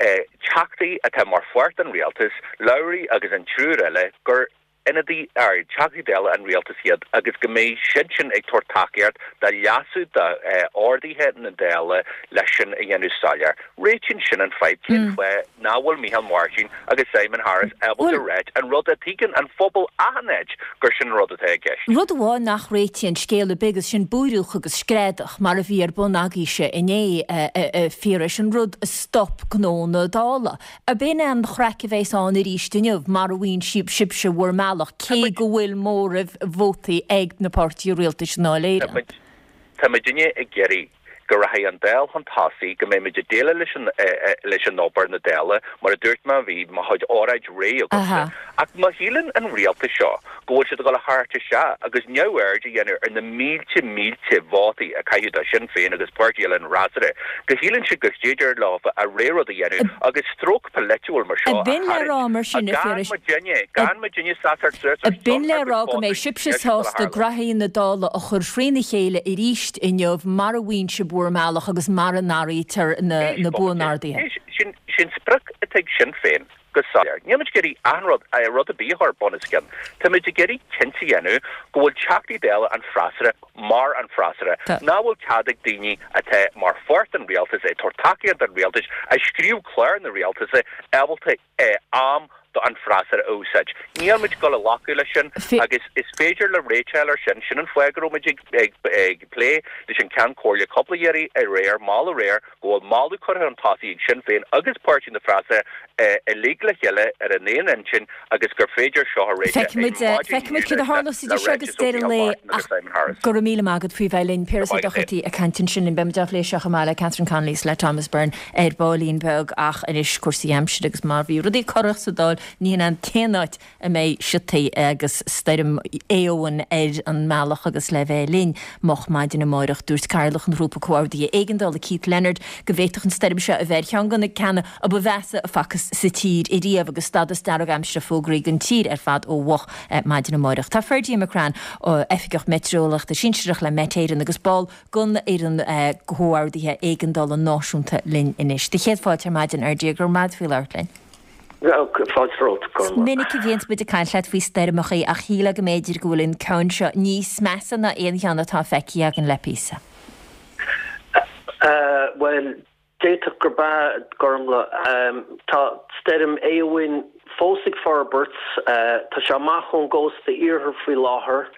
teachtaí atá mar pháirt den rialtas, Lowry agus an triúr eile, gur ionadaí ar Teachtaí Dála an rialtais iad agus go mbeidh siadsin ag tabhairt tacaíocht do leasú d'orduithe na Dála leis sin a dhéanamh soiléir. Réitíonn sin an fadhb. Cén fáth nach bhfuil Micheál Martin agus Simon Harris ábalta ráit an rud a tuigeann an phobal achan áit gur sin an rud atá i gceist? Rud amháin nach réitíonn scéal ar bith agus sin búireach agus screadach mar a bhí ar bun agaibhse inné, a Phiarais, an rud a stop gnó na Dála. Ab in an chraic a bheas ann arís inniu mara bhfaigheann sibhse bhur mbealach, cé go bhfuil móramh vótaí ag na páirtithe rialtais i nDáil Éireann? Tá muidinne ag iarraidh go rachaidh an Dáil chun tosaigh, go mbeidh muid ag déileáil leis an leis an obair na Dála, mar a dúirt mé, bhí mo chuid óráid réidh agamsa. Ach má shíleann an rialtas seo go bhfuil siad ag dul a theacht isteach agus neamhaird a dhéanamh ar na mílte mílte vótaí a caitheadh do Shinn Féin agus páirtí eile an fhreasúra, go shíleann siad gur féidir leo a rogha rud a dhéanamh agus stróc polaitiúil mar seo a B'in le rá mar sin, a Phiarais. Gan muidinne seasamh suas ar B'in le rá go mbeidh sibhse sásta graithí na Dála a chur thrína chéile arís inniu mara bhfaigheann sibh bhur mbealach agus mara n-athraítear na buanorduithe. Sin sprioc atá ag Sinn Féin go soiléir. Níl muid ag iarraidh aon rud, rud ar bith a chur bunoscionn. Tá muid ag iarraidh cinnte a dhéanamh go bhfuil Teachtaí Dála an freasúra mar an freasúra, nach bhfuil cead ag daoine atá mar pháirt den rialtas, ag tabhairt tacaíocht don rialtas, a scríobh clár na rialtas, ábalta am do an freasúra a úsáid. Níl muid ag dul a ghlacadh leis sin agus is féidir le réiteáil ar sin. Sin an fáth go raibh muid ag plé leis an Ceann Comhairle cúpla iarraidh aréir, moladh aréir, go bhfuil moladh curtha chun tosaigh ag Sinn Féin agus Páirtí na Freasúra uilig le chéile ar an aon intinn agus gur féidir seo a réiteach ag maidin Feicfimid céard a tharlós idir seo agus deireadh an lae ach go raibh míle maith agat faoi bheith linn. Piaras Ó Dochartaigh ag caint ansin linn. Beimid á phlé seo chomh maith le Catherine Connolly is le Thomas Byrne ar baillín beag ach anois cúrsaí aimsire agus mar bhí rudaí corrach sa Dáil ní hin an t-aon áit a mbeidh siotaí agus stoirm Éowyn ar an mbealach agus le bheith linn moch maidin amáireach. Dúirt Cathaoirleach an Ghrúpa Comhordaithe Éigeandála Keith Leonard go bhféadfadh an stoirm seo a bheith ar cheann de na ceanna a ba mheasa a facthas sa tír ariamh agus stádas dearg aimsire fógraithe don tír ar fad ó mhoch maidin amáireach. Tá Ferdia McCrann, Oifigeach Meitéareolaíochta Sinsearach le Met Éireann agus ball den fhoireann Comhordaithe Éigeandála Náisiúnta linn anois. Do chéad fáilte ar maidin, a Fherdia, go raibh maith agat faoi labhairt linn. Fáilte romhat, Is minic a bhíonns muid ag caint leat faoi stoirmeachaí ach shílfeá go mb'fhéidir go bhfuil an ceann seo níos measa ná aon cheann atá feicthe againn le píosa. Bhuel, d'fhéadfadh gurb ea, Gormlaith. Tá stoirm Éowyn fós ag forbairt. Tá sé amach ón gcósta iarthair faoi láthair.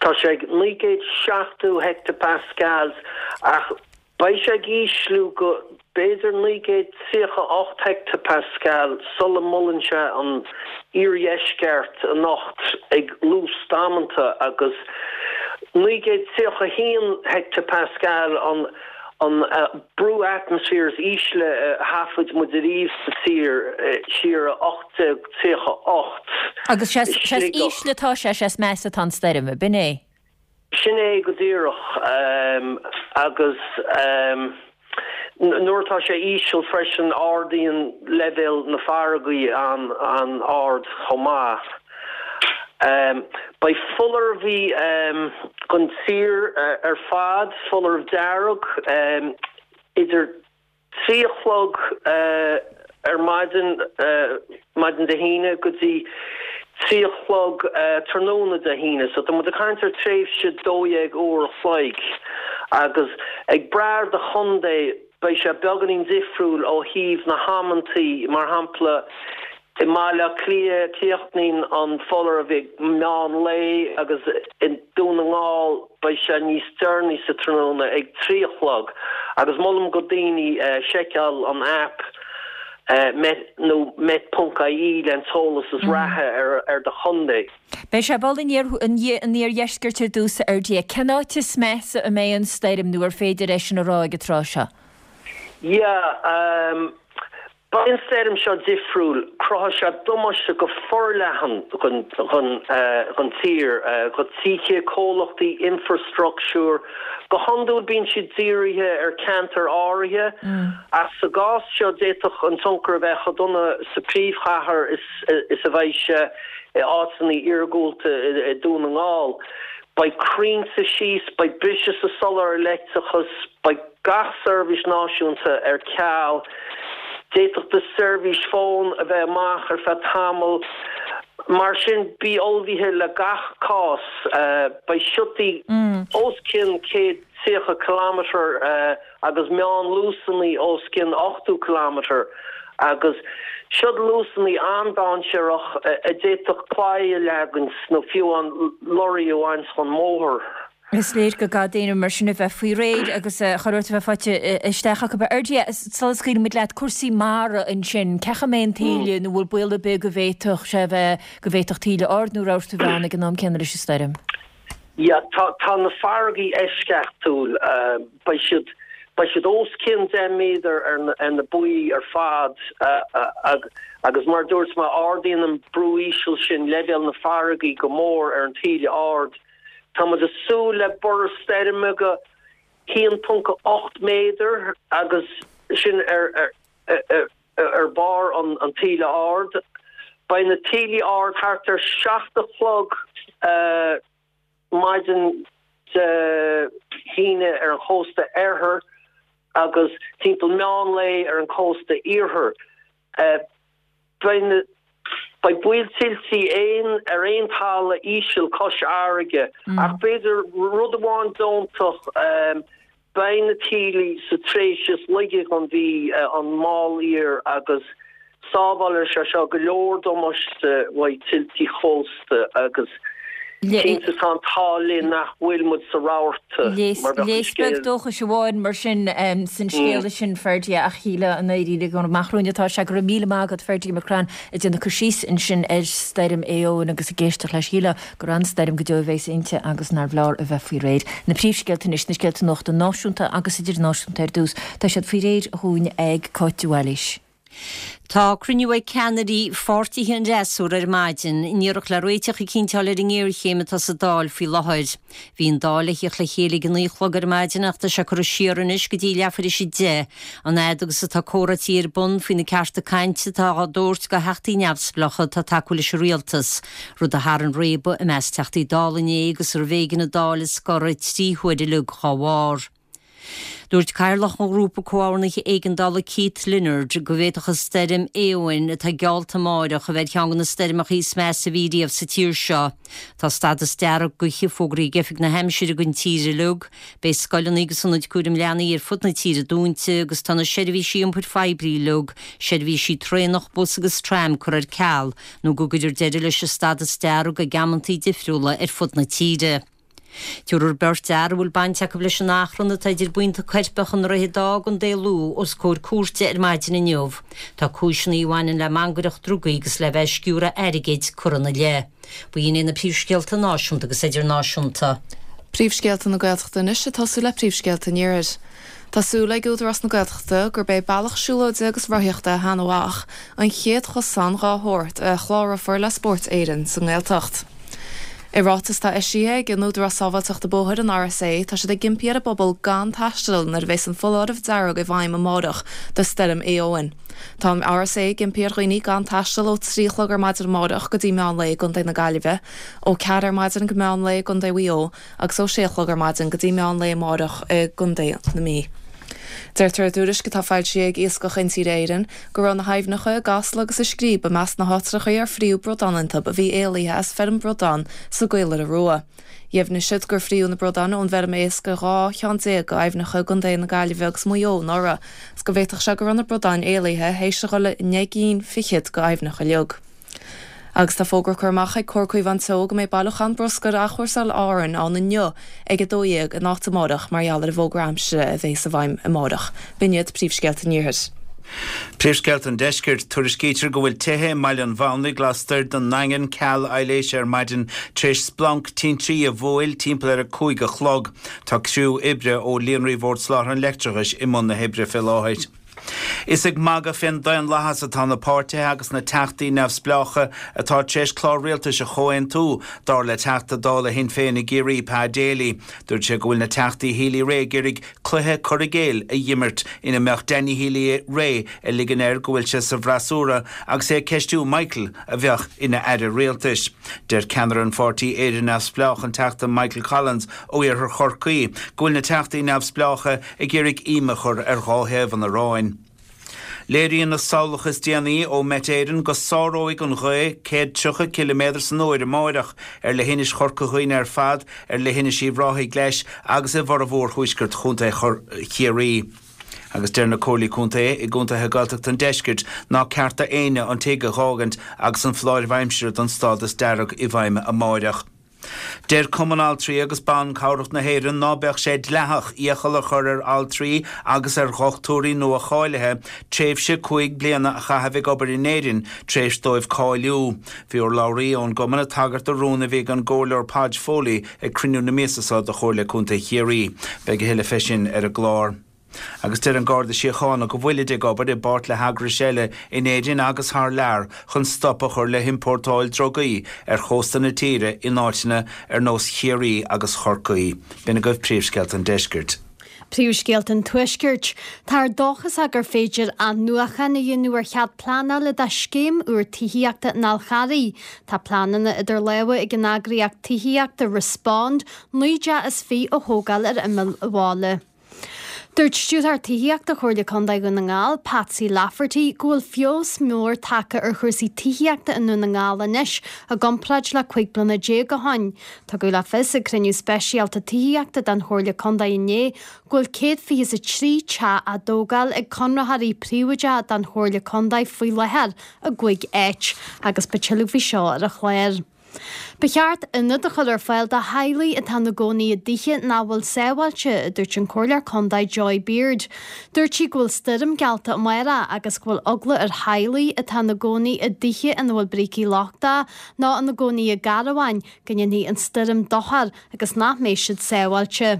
Tá sé ag naoi gcéad seachtó hectopascals ach beidh sé ag ísliú go b'fhéidir naoi gcéad tríocha ocht hectopascal sula mbuaileann sé an iardheisceart anocht ag luas damanta agus naoi gcéad tríocha haon hectopascal an an brú atmaisféir is ísle a thaifead muid ariamh sa tír siar i ocht déag tríocha ocht Agus sé is ísle atá sé, sé is measa atá an stoirm, ab in é? Sin é go díreach. Agus nuair atá sé íseal freisin, ardaíonn leibhéal na farraige an-ard chomh maith. Beidh foláireamh don tír ar fad, foláireamh dearg, idir trí a chlog ar maidin, maidin Dé hAoine, go dtí trí a chlog tráthnóna Dé hAoine. So tá muid ag caint ar tréimhse dó dhéag uair a chloig agus ag brath ar do chontae beidh sé beagáinín difriúil ó thaobh na hamantaí, mar shampla I mBaile Átha Cliath, críochnaíonn an foláireamh ag meán lae agus i nDún na nGall beidh sé níos deireanaí sa tráthnóna ag trí a chlog agus molaim go daoine seiceáil an aip met nó met ponc ie le an t-eolas is reatha ar do chontae. Beidh sé ag bualadh an iardheiscirt ar dtús, a Fherdia. Cén áit is measa a mbeidh an stoirm nó ar féidir é sin a rá ag an tráth seo? Yeah. Beidh an stoirm seo difriúil, cruthóidh sé damáiste go forleathan don tír, do tithe, comhlachtaí, infreastruchtúr. Go hiondúil bíonn siad dírithe ar ceantair áirithe, ach sa gcás seo d'fhéadfadh an tionchar a bheith chomh dona sa phríomhchathair is a bheidh sé i áiteanna iargúlta i Dún na nGall. Beidh crainnte síos, beidh briseadh sa soláthar leictreachais, beidh gach seirbhís náisiúnta ar ceal, d'fhéadfadh do seirbhís fóin a bheith amach ar feadh tamaill, Mar sin bí ullmhaithe le gach cás. Beidh siotaí os cionn céad tríocha kilometre agus meánluasanna os cionn ochtó kilometre agus siod luasanna an-dainséarach a d'fhéadfadh claí a leagaint nó fiú an lorry a bhaint ón mbóthar. Is léir go gcaithfidh daoine mar sin a bheith faoi réir agus chóir a bheith faighte isteach acu. A Fherdie, sula scaoilimid leat, cúrsaí mara ansin, cén chaoi a mbeidh an taoille nó bhfuil baol ar bith go bhféadfadh sé bheith, go bhféadfadh taoille ard nó rabharta a bheith ann ag an am céanna leis an stoirm? Yeah, tá, tá na farraigí eisceachtúil. Beidh siad, beidh siad os cionn deich méadar ar na, ar na baoi ar fad agus mar a dúirt mé, ardaíonn an brú íseal sin leibhéal na farraigí go mór ar an taoille ard. Tá muid ag súil le borradh stoirme go haon ponc ocht méadar agus sin ar ar barr an taoille ard. Beidh na taoillí ard thart ar seacht a chlog maidin Dé hAoine ar an chósta oirthir agus timpeall meán lae ar an chósta iarthair. Beidh na Beidh baol tuiltí aon ar aon talamh íseal cois fharraige ach b'fhéidir rud amháin deontach, beidh na taoillí sa tréimhse is laige den mhí, an mall iar, agus sábhálfaidh sé seo go leor damáiste uaidh tuiltí chósta agus cinnte tá an t-ádh linn nach bhfuil muid sa rabharta mar bheadh an Léas beag scéal. dóchais amháin mar sin san scéala sin, Ferdie, ach shíl an éirí gur amach romhainn atá sé. Go raibh míle maith agat, Ferdie Mac Crainn, ag déanamh cur síos ansin ar stoirm Éowyn agus ag éisteacht leis. Shílfeá gur an-stoirm go deo a bheas inti agus nárbh leor a bheith faoi réir. Na príomhscéalta anois, na scéalta nuachta náisiúnta agus idirnáisiúnta ar dtús, tá siad faoi réir dhúinn ag Cáit de Bhailís. Tá cruinniú ag ceannairí pháirtithe an fhreasúra ar maidin in iarracht le réiteach a chinnteáil ar an ngéarchéim atá sa Dáil faoi láthair. Bhí an Dáil le theacht le chéile ag a naoi a chlog ar maidin ach tá sé curtha siar anois go dtí leathuair tar éis a deich, an fhad agus atá comhráití ar bun faoi na cearta cainte atá á dtabhairt do theachtaí neamhspleácha atá ag tacú leis an rialtas, rud a tharraing réabadh i measc Teachtaí Dála inné agus arbh éigean an Dáil a scoradh trí huaire uilig dá bharr. Dúirt Cathaoirleach an Ghrúpa Comhordnaithe Éigeandála Keith Leonard go bhféadfadh an stoirm Éowyn atá geallta amáireach a bheith ar cheann de na stoirmeacha is measa a bhí riamh sa tír seo. Tá stádas dearg gaoithe fógraithe ag Oifig na hAimsire don tír uilig. Beidh scoileanna agus ionaid cúraim leanaí ar fud na tíre dúnta agus tá na seirbhísí iompair phoiblí uilig, seirbhísí traenach, bus agus tram curtha ar ceal nó go gcuirfear deireadh leis an stádas dearg ag amantaí difriúla ar fud na tíre. Tabharfar beirt fhear a bhfuil baint acu leis an achrann atá idir buíonta coirpeach i nDroichead Átha i gContae Lú os comhair cúirte ar maidin inniu. Tá cúiseanna a bhaineann le mangaireacht drugaí agus le bheith ag sciúradh airgid curtha ina leith. B'in iad na príomhscéalta náisiúnta agus idirnáisiúnta. Príomhscéalta na Gaeltachta anois ag tosú le príomhscéalta an Iarthair. Tá súil ag Údarás na Gaeltachta gurb é bealach siúlóide agus rothaíochta Sheanadh Mhach an chéad chosán dá shórt a chlárófar le Spórt Éireann sa nGaeltacht. I ráiteas atá eisithe ag an Údarás Sábháilteachta Bóthair, an RSA, tá siad ag impí ar an bpobal gan taisteal nuair a bheas an foláireamh dearg i bhfeidhm amárach do Stoirm Éowyn. Tá an RSA ag impí ar dhaoine gan taisteal ó trí a chlog ar maidin amárach go dtí meán lae i gContae na Gaillimhe, ó ceathair ar maidin go meán lae i gContae Mhaigh Eo agus ó sé a chlog ar maidin go dtí meán lae amárach i gContae na Mí. Deirtear i dtuairisc atá foilsithe ag Iascach Intíre Éireann go raibh na haibhneacha i gCasla agus i Scríb i measc na háitreacha ar fríodh bradáin iontu a bhí éalaithe as feirm bradán sa gCaolaire Rua. Dheimhnigh siad gur fríodh na bradáin ón bhfeirm éisc i dhá cheann déag d'aibhneacha i gContae na Gaillimhe agus Maigh Eo anuraidh agus go bhféadfadh sé go raibh na bradáin éalaithe théis a dhul i ndeich gcinn fichead d'aibhneacha uilig. Agus tá fógra curtha amach ag Comhar Caomhán Teo go mbeidh bailiúchán bruscair Athchúrsáil Árann ann inniu ag a dó dhéag in áit amárach mar gheall ar an bhfógra aimsire a bheas i bhfeidhm amárach. B'in iad príomhscéalta an Iarthair. Príomhscéalta an Deiscirt, Tuairiscítear go bhfuil tithe i mBaile an Mhánaigh lastoir den nDaingean ceal aibhléise ar maidin tar éis splanc tintrí a bhuail timpeall ar a cúig a chlog. Tá criú oibre ó Líonraí Bhord Soláthair an Leictreachais i mbun na hoibre fé láthair. Is ag magadh fén daonlathas atá na páirtithe agus na teachtaí neamhspleácha atá tar éis clár rialtais a chomhaontú, dar le Teachta Dála Shinn Féin i gCiarraí, Pa Daly. Dúirt sé go bhfuil na teachtaí Healy-Rae ag iarraidh cluiche cur i gcéill a dh'imirt ina mbeadh Danny Healy-Rae ag ligean air go bhfuil sé sa bhfreasúra agus é ag ceistiú Michael a bheadh ina aire rialtais. Deir ceannaire an pháirtí Éire Neamhspleách, an Teachta Michael Collins ó iarthar Chorcaí, go bhfuil na teachtaí neamhspleácha ag iarraidh ím a chur ar dhá thaobh an aráin. Léiríonn na samhlacha is déanaí ó Met Éireann go sáróidh an ghaoth céad tríocha ciliméadar san uair amáireach ar leithinis Chorca Dhuibhne ar fad, ar leithinis Uíbh Ráthaigh leis agus i bhformhór thuaisceart Chontae Chiarraí. Agus deir na Comhairlí Contae i gcontaetha Gaeltachta an deiscirt ná ceart d'éinne an tigh a dh'fhágaint agus an foláireamh aimsire don stádas dearg i bhfeidhm amáireach. Deir Cumann Altraí agus Ban Cabhrach na hÉireann ná beadh sé dleathach iachall a chur ar altraí agus ar dhochtúirí nua-cháilithe tréimhse cúig bliana a chaitheamh ag obair in Éirinn tar éis dóibh cáiliú. Bhí urlabhraí ón gcumann ag tagairt do rún a bhí ag an gComhairleoir Podge Foley ag cruinniú na míosa seo de Chomhairle Contae Chiarraí. Beidh a thuilleadh fé sin ar an gclár. Agus deir an Garda Síochána go bhfuilid ag obair i bpáirt le heagrais eile in Éirinn agus thar lear chun stop a chur le hiompórtáil drugaí ar chósta na tíre in áiteanna ar nós Chiarraí agus Chorcaí. B'in agaibh príomhscéalta an deiscirt. Príomhscéalta an Tuaiscirt. Táthar dóchasach gur féidir athnuachan a dhéanamh ar chead pleanála do scéim úr tithíochta in Fhál Charraigh. Tá pleananna idir lámha ag an eagraíocht tithíochta Respond naoi dteach is fiche a thógáil ar imeall an bhaile. Dúirt Stiúrthóir Tithíochta Chomhairle Contae Dhún na nGall, Patsy Lafferty, go bhfuil feabhas mór tagtha ar chúrsaí tithíochta i nDún na nGall anois i gcomparáid le cúig bliana déag ó shin. Tugadh le fios ag cruinniú speisialta tithíochta den Chomhairle Contae inné go bhfuil céad fiche is a trí teach á dtógáil ag conraitheoirí príobháideacha don Chomhairle Contae faoi láthair i gcúig áit agus beidh tuilleadh faoi seo ar an chlár. Ba cheart ionad a chur ar fáil do theaghlaigh atá ina gcónaí i dtithe nach bhfuil sábháilte, a dúirt an Comhairleoir Contae Joy Beard. Dúirt sí go bhfuil stoirm geallta amárach agus go bhfuil eagla ar theaghlaigh atá ina gcónaí i dtithe ina bhfuil brící lochtacha nó ina gcónaí i gcarabháin go ndéanfaidh an stoirm dochar agus nach mbeidh siad sábháilte.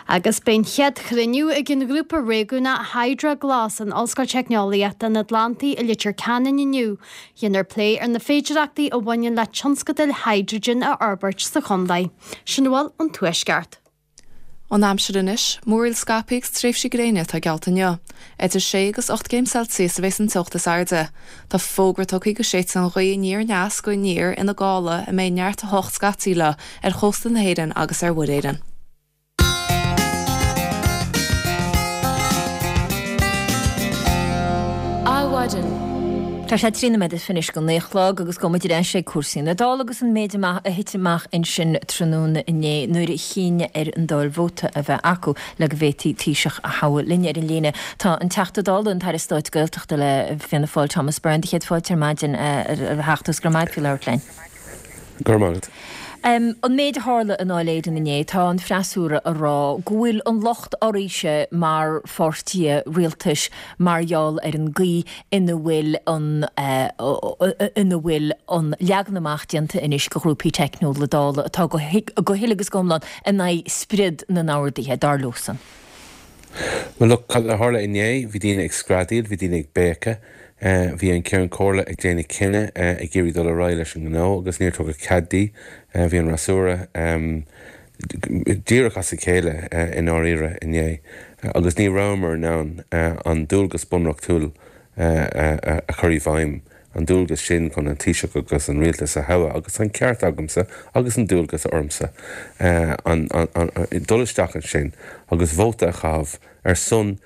Agus beidh an chéad chruinniú ag an ghrúpa réigiúnach HydroGlas in Ollscoil Teicneolaíochta an Atlantaigh i Leitir Ceanainn inniu. Déanfar plé ar na féidearthachtaí a bhaineann le tionscadail hydrogen a fhorbairt sa chontae. Sin a bhfuil ón Tuaisceart. An aimsir anois, múraíl scaipthe agus tréimhsí gréine atá geallta inniu. Idir sé agus ocht gcéim Celsius a bheas an teocht is airde. Tá fógra tugtha go séidfidh an ghaoth aniar aneas go aniar ina gála a mbeidh neart a hocht scaití léi ar chósta na hÉireann agus ar Mhuir Éireann. Adhmhaidin. Tá sé trí nóiméad is fiche anois go naoi a chlog agus gabhfaidh muid ar ais ag cúrsaí na Dála agus an méid amach a thit amach ansin tráthnóna inné nuair a chinn ar an Dáil vóta a bheith acu le go bhféadfaí Taoiseach a thoghadh. Linn ar an líne tá an Teachta Dála, an tAire Stáit Gaeltachta le Fianna Fáil, Thomas Byrne. Do chéad fáilte ar maidin a Theachta agus go raibh maith agat faoi labhairt linn. Go raibh maith agat. An méid a tharla i nDáil Éireann inné, tá an freasúra ag rá go bhfuil an locht oraibhse mar pháirtithe rialtais mar gheall ar an gcaoi ina bhfuil an ina bhfuil an leagan amach déanta anois de ghrúpaí teicniúla Dála atá go huile agus go hiomlán in aghaidh spriod na n-orduithe, dar leosan. Well look, cad a tharla inné, bhí daoine ag screadaíl, bhí daoine ag béiceadh, bhí an Ceann Comhairle ag déanamh cinneadh ag iarraidh dul ar aghaidh leis an ngnó agus níor tugadh cead di. Bhí an fhreasúra díreach as a chéile i ndáiríre inné agus ní rabhamar in ann an dualgas bunreachtúil a chur i bhfeidhm, an dualgas sin chun an Taoiseach agus an rialtas a thoghadh agus an ceart agamsa agus an dualgas ormsa dul isteach ansin agus vóta a chaitheamh ar son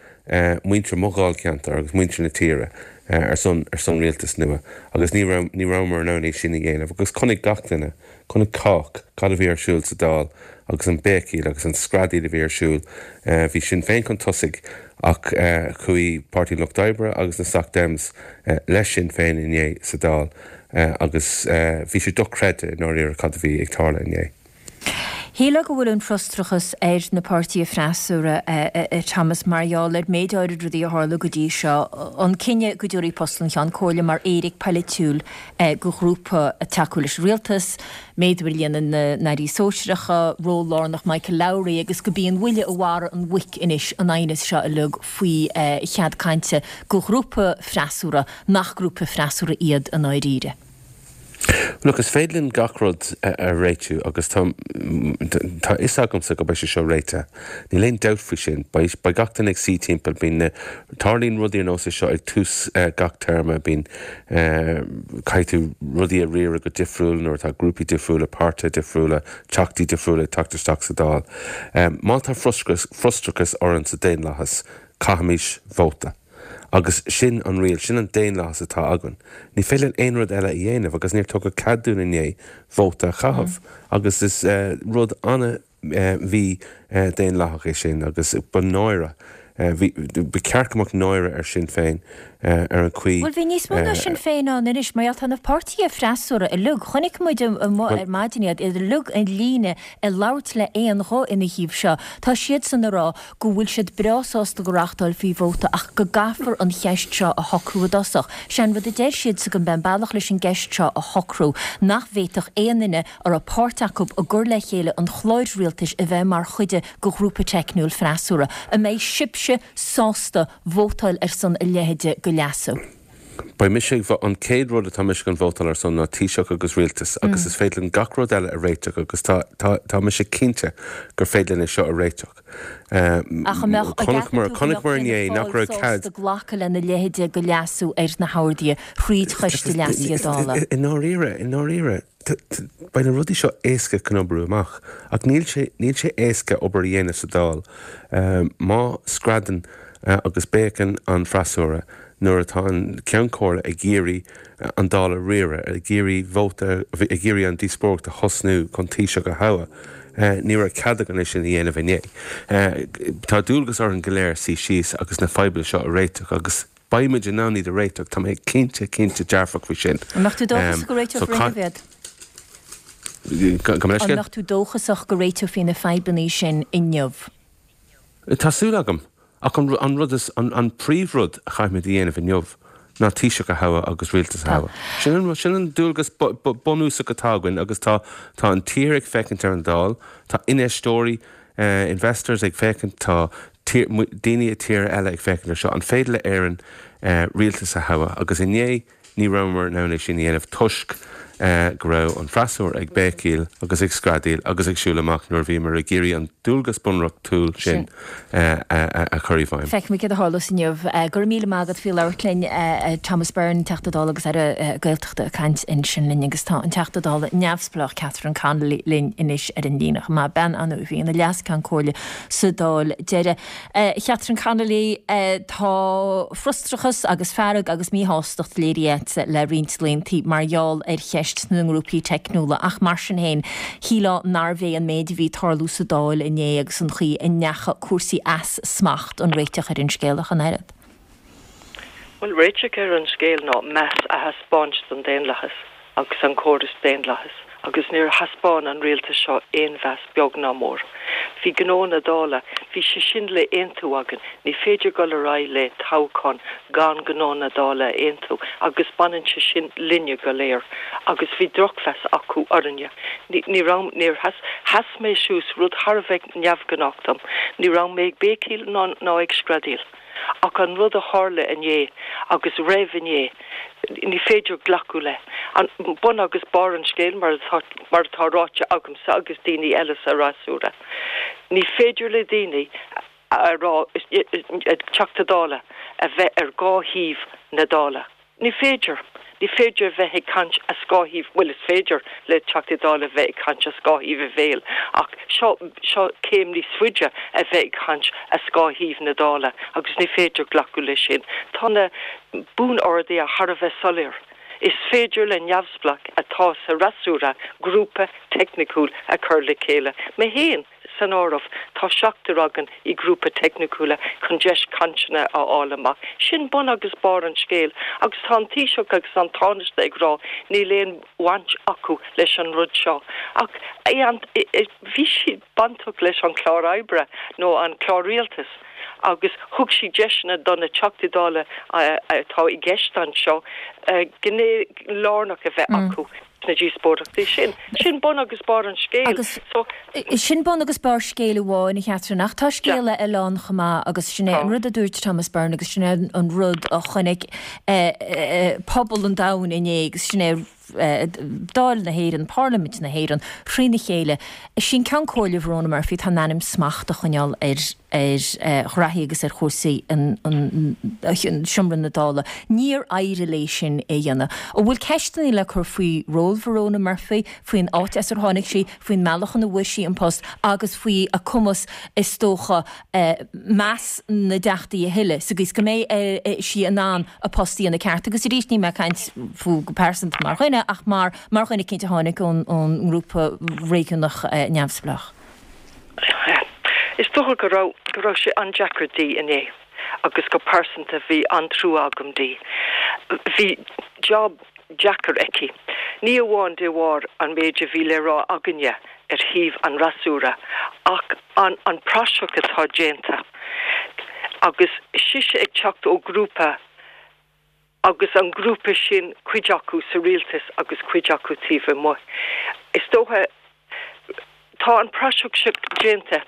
muintir mo dháilcheantair agus muintir na tíre ar son ar son rialtas nua agus ní raibh ní rabhamar in ann é sin a dhéanamh agus chonaic gach duine, chonaic cách cad a bhí ar siúl sa Dáil agus an béicíl agus an screadaíl a bhí ar siúl. Bhí Sinn Féin chun tosaigh ach chuaigh Páirtí an Lucht Oibre agus na Soc Dems le Sinn Féin inné sa Dáil agus bhí sé dochreidte i ndáiríre cad a bhí ag tarlú inné. Shílfeá go bhfuil an frustrachas ar na páirtithe freasúra, a Thomas, mar gheall ar méid áirid rudaí a tharla go dtí seo, an cinneadh go dtabharfaí post an Cheann Comhairle mar éiric polaitiúil do ghrúpa ag tacú leis an rialtas, méadú ar líon na n-airí sóisearacha, ról lárnach Michael Lowry agus go b'í an bhuille a mharaigh an mhuic anois an aighneas seo uilig faoi chead cainte do ghrúpa freasúra nach grúpa freasúra iad i ndáiríre. Look, is féidir linn gach rud a réitiú agus tá tá fhios agamsa go mbeidh sé seo réitithe. Níl aon dabht faoi sin. Beidh beidh gach duine ag suí timpeall. Bíonn na tarlaíonn rudaí ar nós é seo ag tús gach téarma. Bíonn caithfidh tú rudaí a riaradh go difriúil nuair atá grúpaí difriúla, páirtithe difriúla, teachtaí difriúla ag teacht isteach sa Dáil. Má tá frustrachas orainn sa daonlathas, caithimis vóta. Agus sin an riail, sin an daonlathas atá againn. Ní féidir linn aon rud eile a dhéanamh agus níor tugadh cead dúinn inné vóta a chaitheamh. Agus is rud an-mhí-daonlathach é sin agus ba náire, bhí, ba cheart go mbeadh náire ar Sinn Féin ar an chaoi. Bhuel, bhí níos mó ná Sinn Féin ann anois, mar gheall tá na páirtithe freasúra uilig, chonaic muid amuigh ar maidin iad, iad uilig i líne ag labhairt le haon ghuth ina thaobh seo. Tá siadsan ag rá go bhfuil siad breá sásta go reáchtálfaí vóta ach go gcaithfear an cheist seo a shocrú i dtosach. Sé an rud a deir siadsan go mbeidh an bealach leis an gceist seo a shocrú, nach bhféadfadh aon duine a raibh páirt acu i gcur le chéile an chláir rialtais a bheith mar chuid de ghrúpa teicniúil freasúra. An mbeidh sibhse sásta vótáil ar son a leithéide de leasú? Beidh mise ag, an chéad rud atá mise chun vótáil ar son ná Taoiseach agus Rialtas agus is féidir linn gach rud eile a réiteach agus tá, tá, tá mise cinnte gur féidir linn é seo a réiteach. Ach an mbeadh, an gceapann tú go mbeadh Fianna Fáil sásta glacadh lena leithéide de leasú ar na horduithe thríd Choiste Leasaithe Dála? I ndáiríre, i ndáiríre, beidh na rudaí seo éasca chun oibriú amach ach níl sé, níl sé éasca obair a dhéanamh sa Dáil má screadann agus béiceann an freasúra nuair atá an Ceann Comhairle ag iarraidh an Dáil a riaradh, ag iarraidh vóta, ag iarraidh an díospóireacht a thosnú chun Taoiseach a thoghadh. Ní raibh cead againn é sin a dhéanamh inné. Tá dualgas orainn go léir suí síos agus na fadhbanna seo a réiteach agus beidh muid in ann iad a réiteach, tá mé cinnte, cinnte dearfach faoi sin. An mbeadh tú dóchasach go réiteofar inniu iad? Gabh mo An leithscéal? mbeadh tú dóchasach go réiteofaí na fadhbanna sin inniu? Tá súil agam. Ach an an rud is, an an príomhrud a chaithfimid a dhéanamh inniu ná Taoiseach a thoghadh agus rialtas a Tá. thoghadh. Sin an sin an dualgas bunúsach atá againn agus tá tá an tír ag féachaint ar an Dáil, tá infheisteoirí, investors ag féachaint, tá tír, daoine i tíortha eile ag féachaint ar seo. An féidir le Éirinn rialtas a thoghadh? Agus inné ní rabhamar in ann é sin a dhéanamh toisc go raibh an freasúra ag béicíl agus ag screadaíl agus ag siúl amach nuair a bhíomar ag iarraidh an dualgas bunreachtúil sin a chur i bhfeidhm. Feicfimid céard a tharlós inniu. Go raibh míle maith agat faoi labhairt linn, Thomas Byrne, Teachta Dála agus Aire Gaeltachta ag caint ansin linn agus tá an Teachta Dála neamhspleách Catherine Connolly linn anois ar an líne chomh maith, bean ann a bhí ina Leas-Ceann Comhairle sa Dáil deiridh. A Chatherine Connolly, tá frustrachas agus fearg agus míshástacht léirithe agat le roinnt laethanta mar gheall ar cheist na ngrúpaí teicniúla ach mar sin féin, shílfeá nárbh é an méid a bhí ag tarlú sa Dáil inné agus an chaoi a ndeachaigh cúrsaí as smacht an réiteach ar an scéal ach an oiread. Bhuel, réiteach ar an scéal ná meas a thaispeáint don daonlathas agus an córas daonlathais agus níor thaispeáin an rialtas seo aon mheas beag ná mór. Bhí gnó na Dála, bhí sé sin le aontú againn, ní féidir dul ar aghaidh le toghchán gan gnó na Dála a aontú agus baineann sé sin linne go léir agus bhí drochmheas acu orainne. Ní, ní raibh, níor sheas, sheas mé suas, rud thar a bheith neamhghnách dom, ní raibh mé ag béicíl ná, ná ag screadaíl. Ach an rud a tharla inné agus roimh inné, ní féidir glacadh le. An bun agus barr an scéil, mar atá, mar atá ráite agamsa agus daoine eile sa fhreasúra, ní féidir le daoine a rá, Teachta Dála, a bheith ar dhá thaobh na Dála. Ní féidir. Ní féidir a bheith ag caint as dhá thaobh, bhuel is féidir le Teachtaí Dála a bheith ag caint as dhá thaobh a bhéil ach seo, seo céim níos faide a bheith ag caint as dhá thaobh na Dála agus ní féidir glacadh leis sin. Tá na buan-orduithe thar a bheith soiléir. Is féidir le neamhspleách atá sa fhreasúra grúpa teicniciúil a chur le chéile. Mé féin san áireamh, tá seachtar againn i grúpa teicniciúla chun deis cainteanna a fháil amach. Sin bun agus barr an scéil. Agus tá an Taoiseach agus an Tánaiste ag rá níl aon bhaint acu leis an rud seo. Ach bhí siad bainteach leis an chlár oibre nó an clár rialtais agus thug siad deiseanna do na Teachtaí Dála atá i gceist anseo gné lárnach a bheith acu sna díospóireachtaí sin. Sin bun agus barr an scéil. Agus sin bun agus barr scéil amháin, a Chatherine, ach tá scéal eile ann chomh maith agus sin é an rud a dúirt Thomas Byrne agus sin é an rud a chonaic pobal an domhain inné agus sin é Dáil na hÉireann, Parlaimint na hÉireann, thrína chéile. Is í an Ceann Comhairle Verona Murphy atá in ainm smacht a choinneáil ar ar ghraithí agus ar chúrsaí an Seomra na Dála. Níor éirigh léi sin é a dhéanamh. An bhfuil ceisteanna le cur faoi ról Verona Murphy, faoin áit as ar tháinig sí, faoin mbealach ina bhfuair sí an post agus faoi a cumas is dócha meas na dTeachtaí a thuilleadh sa gcaoi is go mbeidh sí in ann a post a dhéanamh ceart? Agus arís níl mé ag caint fúithi go pearsanta mar dhuine ach mar mar dhuine eicínt a tháinig ón ón ngrúpa réigiúnach neamhspleách. Is dócha go raibh go raibh sé an-deacair di inné agus go pearsanta bhí an-trua agam di. Bhí job deacair aici. Ní amháin de bharr an méid a bhí le rá againne ar thaobh an fhreasúra ach an an praiseach atá déanta agus sise ag teacht ó grúpa agus an grúpa sin cuid acu sa rialtas agus cuid acu taobh amuigh. Is dócha tá an praiseach seo déanta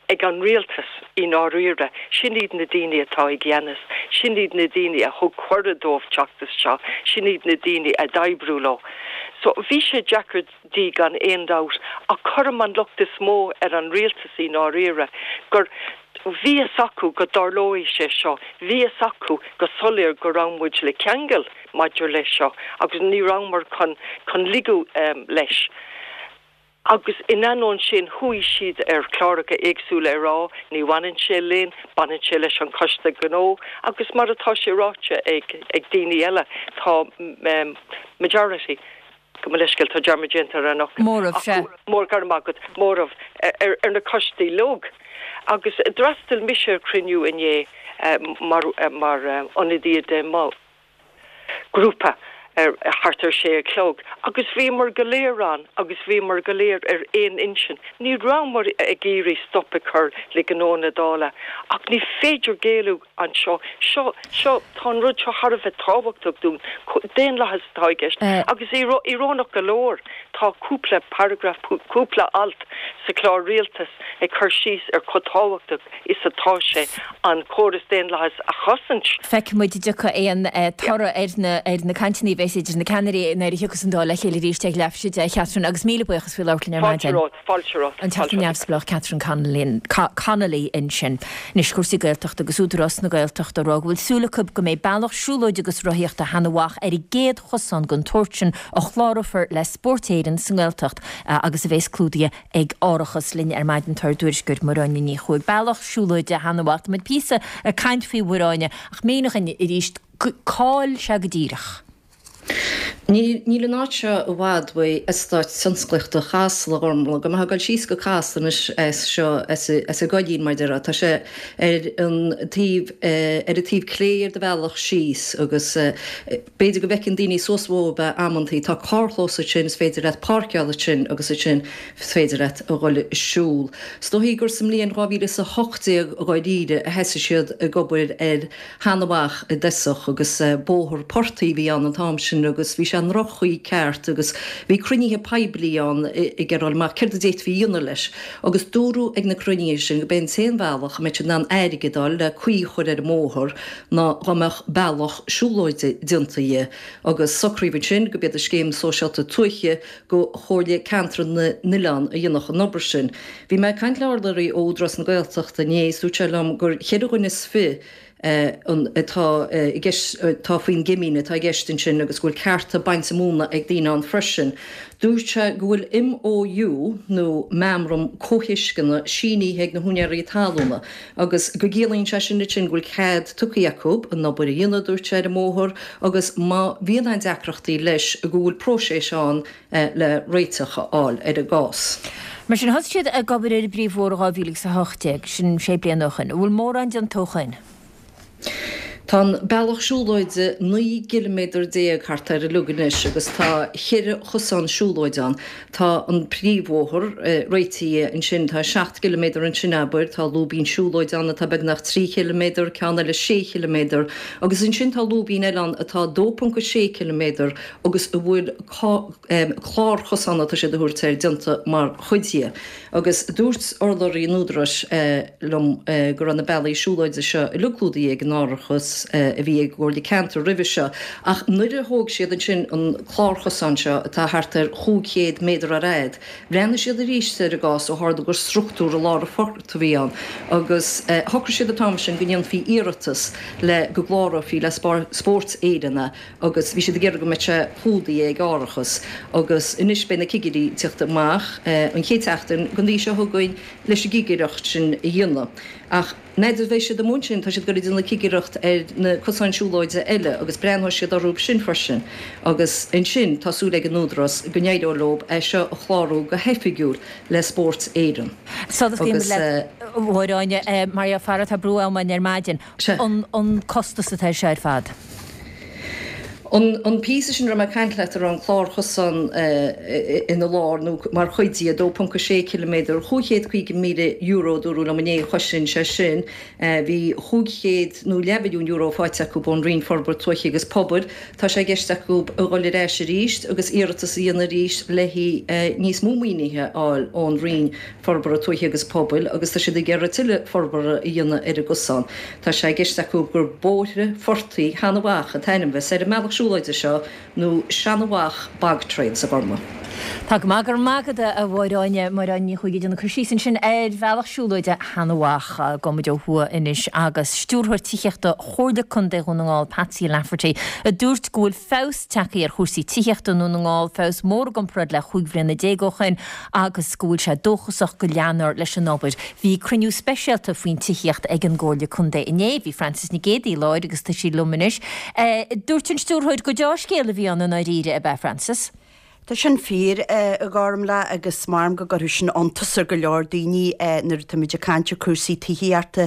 ag an rialtas i ndáiríre, sin iad na daoine atá i gceannas, sin iad na daoine a thug cuireadh dóibh teacht isteach, sin iad na daoine a d'oibriú leo. So bhí sé deacair di gan aon dabht ach cuirim an locht is mó ar an rialtas i ndáiríre gur bhí fhios acu go dtarlóidh sé seo, bhí fhios acu go soiléir go raibh muid le ceangal maidir leis seo agus ní rabhamar chun chun ligeadh leis. Agus in ainneoin sin chuaigh siad ar chláracha éagsúla ag rá ní bhaineann sé linn, baineann sé leis an Choiste Gnó agus mar atá sé ráite ag ag daoine eile tá majority, gabh mo leithscéal tá dearmad déanta ar an fhocal, Móramh, sea. Mór, go raibh maith agat, móramh ar ar na coistí uilig. Agus d'fhreastail mise ar chruinniú inné mar mar ionadaí de mo ghrúpa ar thart ar sé a chlog agus bhíomar go léir ann agus bhíomar go léir ar aon intinn. Ní rabhamar ag iarraidh stop a chur le gnó na Dála ach ní féidir géilleadh anseo. Seo, seo, tá an rud seo thar a bheith tábhachtach dúinn. Daonlathas atá i gceist agus íorónach go leor tá cúpla paragraf, cúpla alt sa chlár rialtais ag cur síos ar chomh tábhachtach is atá sé an córas daonlathais a chosaint. Feicfidh muid an dtiocfaidh aon toradh ar na ar na cainteanna a bheas idir na ceannairí nuair a thiocfas an Dáil le chéile arís ag leathuair tar éis a deich, a Chatherine, agus míle buíochas faoi labhairt linn ar maidin. Fáilte romhat, fáilte romhat, An Teachta Neamhspleách Catherine Connolly, Connolly ansin. Anois cúrsaí Gaeltachta agus Údarás na Gaeltachta ag rá go bhfuil súil acu go mbeidh bealach siúlóide agus rothaíochta Sheanadh Mhach ar an gcéad chosán den tsórt sin a chlárófar le Spórt Éireann sa nGaeltacht agus a bheas clúdaithe ag árachas. Linn ar maidin tá ár dtuairisceoir Máire Áine Ní Chuaig. Bealach siúlóide Sheanadh Mhach. Tá muid píosa ag caint faoi Mháire Áine ach mínigh dhúinn arís cá'il sé go díreach. Níl an áit seo i bhfad uaidh Eastát Tionsclaíochta Chasla, a Ghormfhlaith. Dá mbeifeá ag dul síos go Casla anois as seo, as an gCoillín mar a déarfá, tá sé ar an taobh, ar an taobh clé ar do bhealach síos agus b'fhéidir go bhfeiceann daoine suas uathu é amantaí. Tá carrchlós ansin, is féidir leat páirceáil ansin agus ansin is féidir leat a dhul ag siúl. Is dóichí gur sa mbliain dhá mhíle is a hocht déag dháiríre a thosaigh siad ag obair ar Sheanadh Mhach i dtosach agus bóthar portaigh a bhí ann an t-am sin agus bhí sé i ndroch-chaoi ceart agus bhí cruinnithe poiblí ann ag iarraidh a fháil amach céard a d'fhéadfaí a dhéanamh leis agus dúradh ag na cruinnithe sin go b'é an t-aon bhealach a mbeadh siad in ann airgead a fháil le caoi a chur ar an mbóthar ná dá mbeadh bealach siúlóide déanta dhe agus socraíodh ansin go b'iad an Scéim Sóisialta Tuaithe go Chomhairle Ceantar na nOileán a dhéanfadh an obair sin. Bhí mé ag caint le urlabhraí ó Údarás na Gaeltachta inné is dúirt sé liom gur cheithre dhuine is fiche an atá i gceist, atá faoin gcoimín atá i gceist ansin agus go bhfuil cearta bainte móna ag daoine ann freisin. Dúirt sé go bhfuil MOU nó Meamram Comhthuisceana sínithe ag na húinéirí talúna agus go gciallaíonn sé sin ansin go bhfuil cead tugtha acu an obair a dhéanamh, dúirt sé, ar an mbóthar agus má bhíonn aon deacrachtaí leis go bhfuil próiseas ann le réiteach a fháil ar an gcás. Mar sin, thosaigh siad ag obair ar an bpríomhbhóthar in dhá mhíle agus a hocht déag, sin sé bliana ó shin. An bhfuil mórán déanta ó shin? Tá an bealach siúlóide naoi gciliméadar déag thart air uilig anois agus tá cheithre chosán siúlóide ann. Tá an príomhbhóthar réitithe ansin, tá seacht gciliméadar ansin abair, tá lúibín siúlóide ann atá beagnach trí chiliméadar, ceann eile sé chiliméadar agus ansin tá lúibín eile ann atá dó ponc a sé ciliméadar agus a bhfuil clár chosán atá siad a thabhairt air déanta mar chuid dhe. Agus dúirt urlabhraí an Údaráis liom go raibh na bealaí siúlóide seo uilig clúdaithe ag an árachas ceadúnas a bhí ag an gComhairle Ceantair roimhe seo. Ach nuair a thóg siad ansin an clárchosán seo atá thart ar chúig chéad méadar ar fhad, bhreathnaigh siad arís ar an gcás ó tharla gur struchtúr i lár an phort a bhí ann agus shocraigh siad an t-am sin go ndéanfaí iarratas le go gclárófaí le Spórt Éireann é agus bhí siad ag iarraidh go mbeadh sé clúdaithe ag árachas agus anois beidh na cigirí ag teacht amach an chéad tseachtain den mhí seo chugainn leis an gcigireacht sin a dhéanamh. Ach n'fheadar bheidh siad amuigh ansin, tá siad ag goil ag déanamh cigireacht ar na cosáin siúlóide eile agus breathnóidh siad orthu sin freisin agus ansin tá súil ag an Údarás go n-éireoidh leo é seo a chlárú go hoifigiúil le Spórt Éireann. Sula scaoilimid leat, a Mháire Áine, mar gheall fara tá brú ama ar maidin, an costas atá air seo ar fad? An píosa sin a raibh mé ag caint leat a raibh an clárchosán ina lár nó mar chuid de, a dó ponc a sé ciliméadar, chúig chéad caoga míle euro a dúradh liom inné a chosain sé sin. Bhí chúig chéad nó leathmhilliún euro faighte acu ón Roinn Forbartha Tuaithe agus Pobail. Tá sé i gceist acu a dhul ar ais arís agus iarratas a dhéanamh arís le haghaidh níos mó maoinithe a fháil ón Roinn Forbartha Tuaithe agus Pobail agus tá siad ag iarraidh tuilleadh forbartha a dhéanamh ar an gcosán. Tá sé i gceist acu gur Bóithre Phortaigh Sheanadh Mhach an t-ainm a bheas ar an mbealach siúlóide seo nó Seanadh Mhach Bog Trails, a Ghormfhlaith. Tá go maith, go raibh maith agat a Mháire Áine, Máire Áine Ní Chuaig ag déanamh cur síos ansin ar bhealach siúlóide Sheanadh Mhach. Gabhfaidh muid ó thuaidh anois agus Stiúrthóir Tithíochta Chomhairle Contae Dhún na nGall, Patsy Lafferty, a dúirt go bhfuil feabhas tagtha ar chúrsaí tithíochta i nDún na nGall, feabhas mór i gcomparáid le chúig bhliana déag ó shin agus go bhfuil sé dóchasach go leanfar leis an obair. Bhí cruinniú speisialta faoin tithíocht ag an gComhairle Contae inné. Bhí Frances Nic Géadaigh i láthair agus tá sí liom anois. Dúirt an Stiúrthóir gur deá-scéal a bhí ann i ndáiríre, ab ea, Frances? Tá sin fíor, a Ghormfhlaith, agus measaim go gcuirfeadh sin iontas ar go leor daoine nuair atáimid ag caint ar chúrsaí tithíochta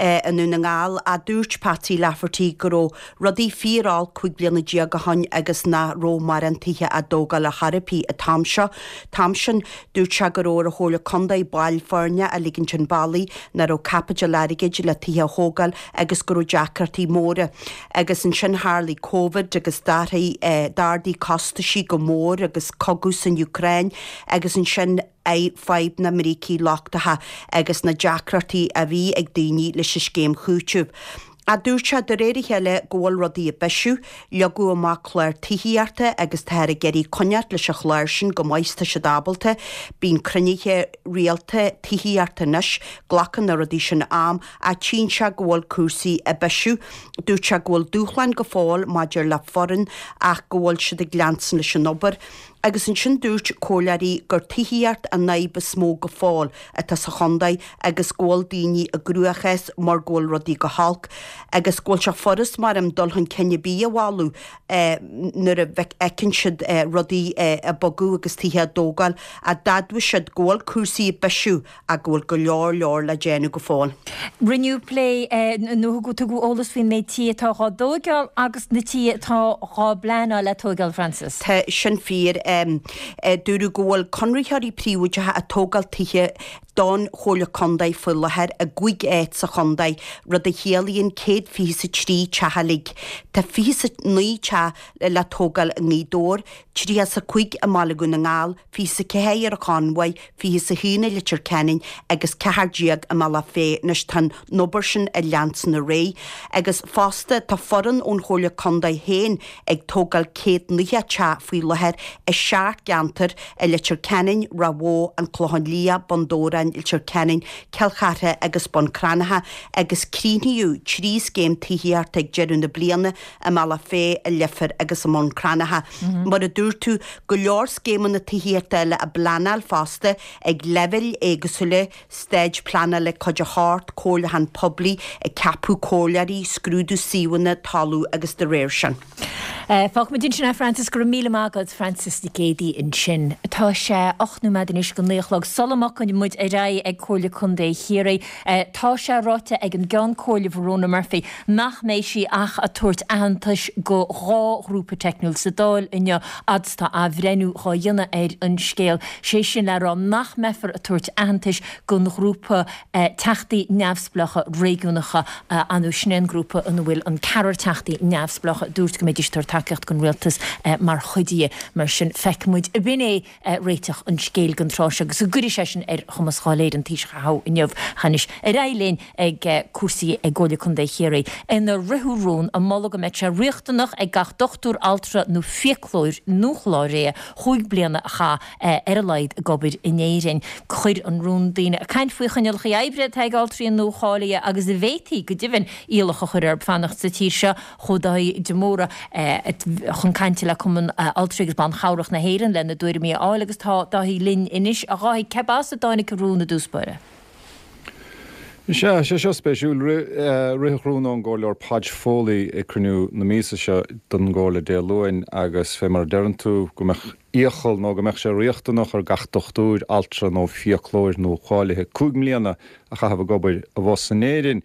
i nDún na nGall. Ach dúirt Patsy Lafferty go raibh rudaí fíor-olc cúig bliana déag ó shoin agus nach raibh mórán tithe á dtógáil ar chor ar bith an t-am seo. T-am sin, dúirt sé go raibh ar an Chomhairle Contae baill foirne a ligint chun bealaigh, nach raibh caipiteal airgid le tithe a thógáil agus go raibh deacrachtaí móra. Agus ansin tharlaigh Covid agus d'athraigh, d'ardaigh costaisí go mór agus cogadh san Úcráin agus ansin fadhb na mbrící lochtacha agus na deacrachtaí a bhí ag daoine leis an scéim chúitimh. Ach dúirt sé de réir a chéile go bhfuil rudaí ag bisiú, leagadh amach clár tithíochta agus táthar ag iarraidh coinneáil leis an chlár sin go maith is tá siad ábalta. Bíonn cruinnithe rialta tithíochta anois, glacann na rudaí sin am ach tchíonn sé go bhfuil cúrsaí ag bisiú. Dúirt sé go bhfuil dúshláin go fóill maidir le foireann ach go bhfuil siad ag leanstan leis an obair. Agus ansin dúirt comhairleoirí gur tithíocht an fhadhb is mó go fóill atá sa chontae agus go bhfuil daoine i gcruachás mar go bhfuil rudaí go holc agus go bhfuil sé furast mar em dul chun cinn ar bith a mholadh nuair a fheiceann siad rudaí ag bogadh agus tithe á dtógáil ach d'admhaigh siad go bhfuil cúrsaí ag bisiú ach go bhfuil go leor leor le déanamh go fóill. Rinneadh plé nó tugadh eolas faoin méid tithe atá dhá dtóigeáil agus na tithe atá dhá bpleanáil le tóigeáil, Frances. Tá sin fíor. Dúradh go bhfuil conraitheoirí príobháideacha ag tógáil tithe don Chomhairle Contae faoi láthair i gcúig áit sa chontae, rud a chiallaíonn céad fiche is a trí teach uilig. Tá fiche is a naoi teach le tógáil i nGaoth Dobhair, tríocha is a cúig i mBaile Dhún na nGall, fiche is a ceathair ar an Chonmhaigh, fiche is a haon i Leitir Ceanainn agus ceathair déag i mBealach Féich. Anois tá an obair sin ag leanstan ar aghaidh agus fosta tá foireann ón Chomhairle Contae féin ag tógáil céad nócha teach faoi láthair i seacht gceantar i Leitir Ceanainn, Ráth Bhoth, An Clochán Liath, Bun Dobhráin, Leitir Ceanainn, Cill Chartha agus Bun Cranncha agus críochnaíodh trí scéim tithíochta ag deireadh na bliana i mBealach Féich, i Leifear agus i mBun Cranncha. Mar a dúirt tú, go leor scéimeanna tithíochta eile á bpleanáil fosta ag leibhéil éagsúla, staid pleanála Cuid a hocht, comhairliúchán poiblí, ag ceapadh comhairleoirí, scrúdú suíomhanna, toiliú agus de réir sin. Fágfaimid ansin é Frances, go raibh míle maith agat Frances Nic Géadaigh ansin. Tá sé ocht nóiméad anois go naoi a chlog. Sula mbogann muid ar aghaidh ag Comhairle Contae Chiarraí, tá sé ráite ag an gCeann Comhairle Verona Murphy nach mbeidh sí ach ag tabhairt aitheantais go dhá ghrúpa teicniúil sa Dáil inniu fhad is tá athbhreithniú dhá dhéanamh ar an scéal, sé sin le rá nach mbeifear ag tabhairt aitheantais don ghrúpa Teachtaí Neamhspleácha. Neamhspleácha Réigiúnacha ann, sin é an grúpa ina bhfuil an ceathrar teachtaí neamhspleácha a dúirt go mbeidís ag tabhairt tacaíocht don rialtas mar chuid dhe. Mar sin, feicfidh muid ab in é réiteach an scéil don tráth seo agus an gcuirfidh sé sin ar chumas Dháil Éireann Taoiseach a thoghadh inniu. Anois, ar aghaidh linn ag cúrsaí i gComhairle Contae Chiarraí. Inar ritheadh rún ag moladh go mbeadh sé riachtanach ag gach dochtúir, altra nó fiaclóir nuacháilithe chúig bliana a chaitheamh ar a laghad ag obair in Éirinn. Chuir an rún daoine ag caint faoi choinníollacha oibre atá ag altraí nuacháilithe agus a bhféadfaí, go deimhin, iallach a chur orthu fanacht sa tír seo. Chuaigh Dáithí de Mórdha chun cainte le Cumann Altraí agus Ban Chabhrach na hÉireann lena dtuairimí a fháil agus tá Dáithí linn anois. A Dháithí, cérbh as a dtáinig an rún i dtús báire? Sea, sé seo spéisiúil. Ritheadh rún ón gComhairleoir Podge Foley ag cruinniú na míosa seo don gComhairle Dé Luain agus fé mar a deireann tú, go mbeadh iachall nó go mbeadh sé riachtanach ar gach dochtúir, altra nó fiaclóir nuacháilithe cúig mbliana a chaitheamh ag obair abhus in Éirinn.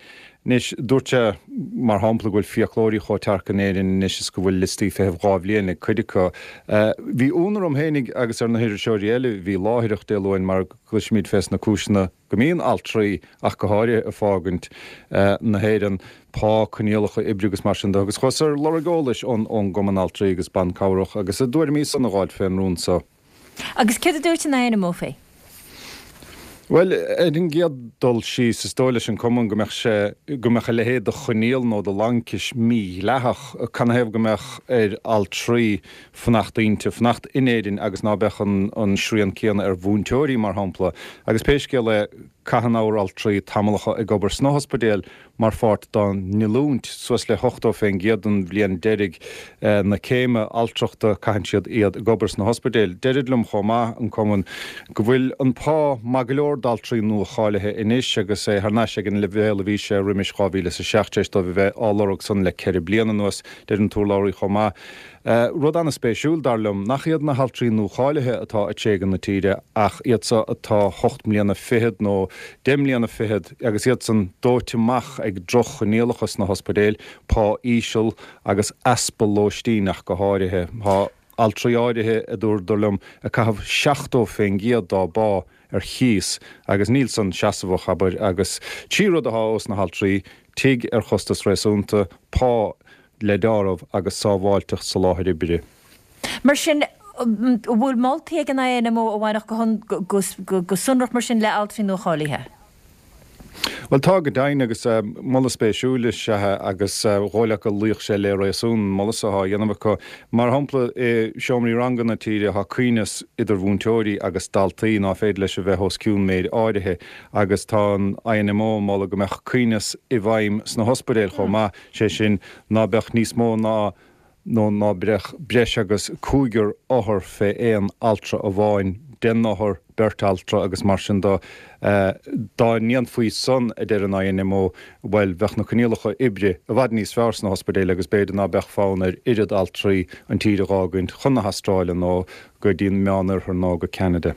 Anois, dúirt sé, mar shampla, go bhfuil fiaclóirí chomh tearc in Éirinn anois is go bhfuil liostaí feithimh dhá bhliain ag cuid acu. Bhí ionadh orm féinig agus ar na hiriseoirí eile a bhí láithreach Dé Luain mar cloisimid fés na cúiseanna go mbíonn altraí ach go háirithe ag fágaint na hÉireann, pá, coinníollacha oibre agus mar sin de agus chuas ar lorg eolais ón gCumann Altraí agus Ban Cabhrach agus a dtuairimí san a dh'fháilt fén rún so. Agus céard a dúirt an INMO fé? Bhuel, ar an gcéad dul síos, is dóigh leis an Cumann go mbeadh sé, go mbeadh a leithéid de choinníoll nó de laincis mídhleathach. Canathaobh go mbeadh ar altraí fanacht inti, fanacht in Éirinn agus ná beadh an an srian céanna ar mhúinteoirí, mar shampla. Agus pé scéal é, caitheann ár altraí tamallacha ag obair sna hospidéil mar pháirt dá n-oiliúint, suas le hochtó fén gcéad den bhliain deiridh na céime altrachta caitheann siad iad ag obair sna hospidéil. Deirid liom chomh maith, an Cumann, go bhfuil an pá maith go leor d'altraí nua-cháilithe anois agus é thar n-ais ag an leibhéal a bhí sé roimis dhá mhíle is a seacht tar éis dóibh a bheith á lorg san le ceithre bliana anuas. Deir an t-urlabhraí chomh maith, Rud an-spéisiúil, dar liom, nach iad na haltraí nuacháilithe atá ag tréigean na tíre ach iad so atá hocht mbliana fichead nó deich mbliana fichead agus iadsan dóite amach ag droch-choinníollacha sna hospidéil, pá íseal agus easpa lóistín ach go háirithe. Tá altraí áirithe, a dúradar liom, ag caitheamh seachtó fén gcéad dá bpá ar chíos agus níl san seasmhach, abair, agus trí rud atá ós na haltraí, tigh ar chostas réasúnta, pá le deáramh agus sábháilteacht sa láthair oibre. Mar sin, an bhfuil moltaí ag an INMO a bhainfeadh go sonrach mar sin le altraí nuacháilithe? Bhuel, tá go deimhin, agus moladh spéisiúil is ea é agus dhóigh leat go luífeadh sé le réasún an moladh so atá á dhéanamh acu. Mar shampla, i seomraí ranga na tíre tá coibhneas idir mhúinteoirí agus daltaí ná féidir leis a bheith os cionn méid áirithe agus tá an INMO ag moladh go mbeadh coibhneas i bhfeidhm sna hospidéil chomh maith. sé sin, ná beadh níos mó ná, nó ná beadh breis agus cúigear othar fé aon altra amháin, deich n-othar, beirt altra agus mar sin de. Dá ndéanfaí san, a deir an INMO, bhuel, bheadh na coinníollacha oibre i bhfad níos fearr sna hospidéil agus b'fhéidir ná beadh fonn ar oiread altraí an tír a dh'fhágaint chun na hAstráile nó go dtí an Meánoirthear nó go Ceanada.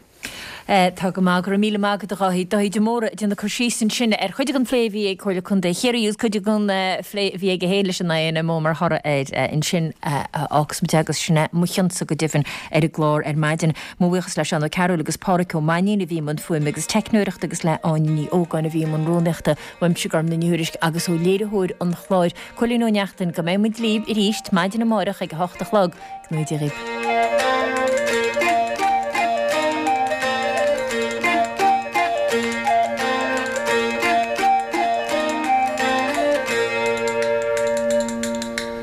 Tá go maith, go raibh míle maith agat a Dháithí. Dáithí de Mórdha ag déanamh cur síos ansin ar chuid den phlé a bhí ag Comhairle Contae Chiarraí agus cuid den phlé a bhí aige féin leis an INMO mar thoradh air ansin. Fhágfas muid agus sin é mo chionsa go deimhin ar an gclár ar maidin. Mo bhuíochas le Seán Ó Cearúil agus Pádhraic Ó Mainnín a bhí i mbun fuaime agus teicneoireachta agus le Áine Ní Ógáin a bhí i mbun rúnaíochta. Uaimse Gormlaith Ní Thuairisg agus ó léiritheoir an chláir, Cóilín Ó Neachtain, go mbeidh muid libh arís maidin amárach ag a hocht a chlog. Go ngnóthaí Dia dhaoibh.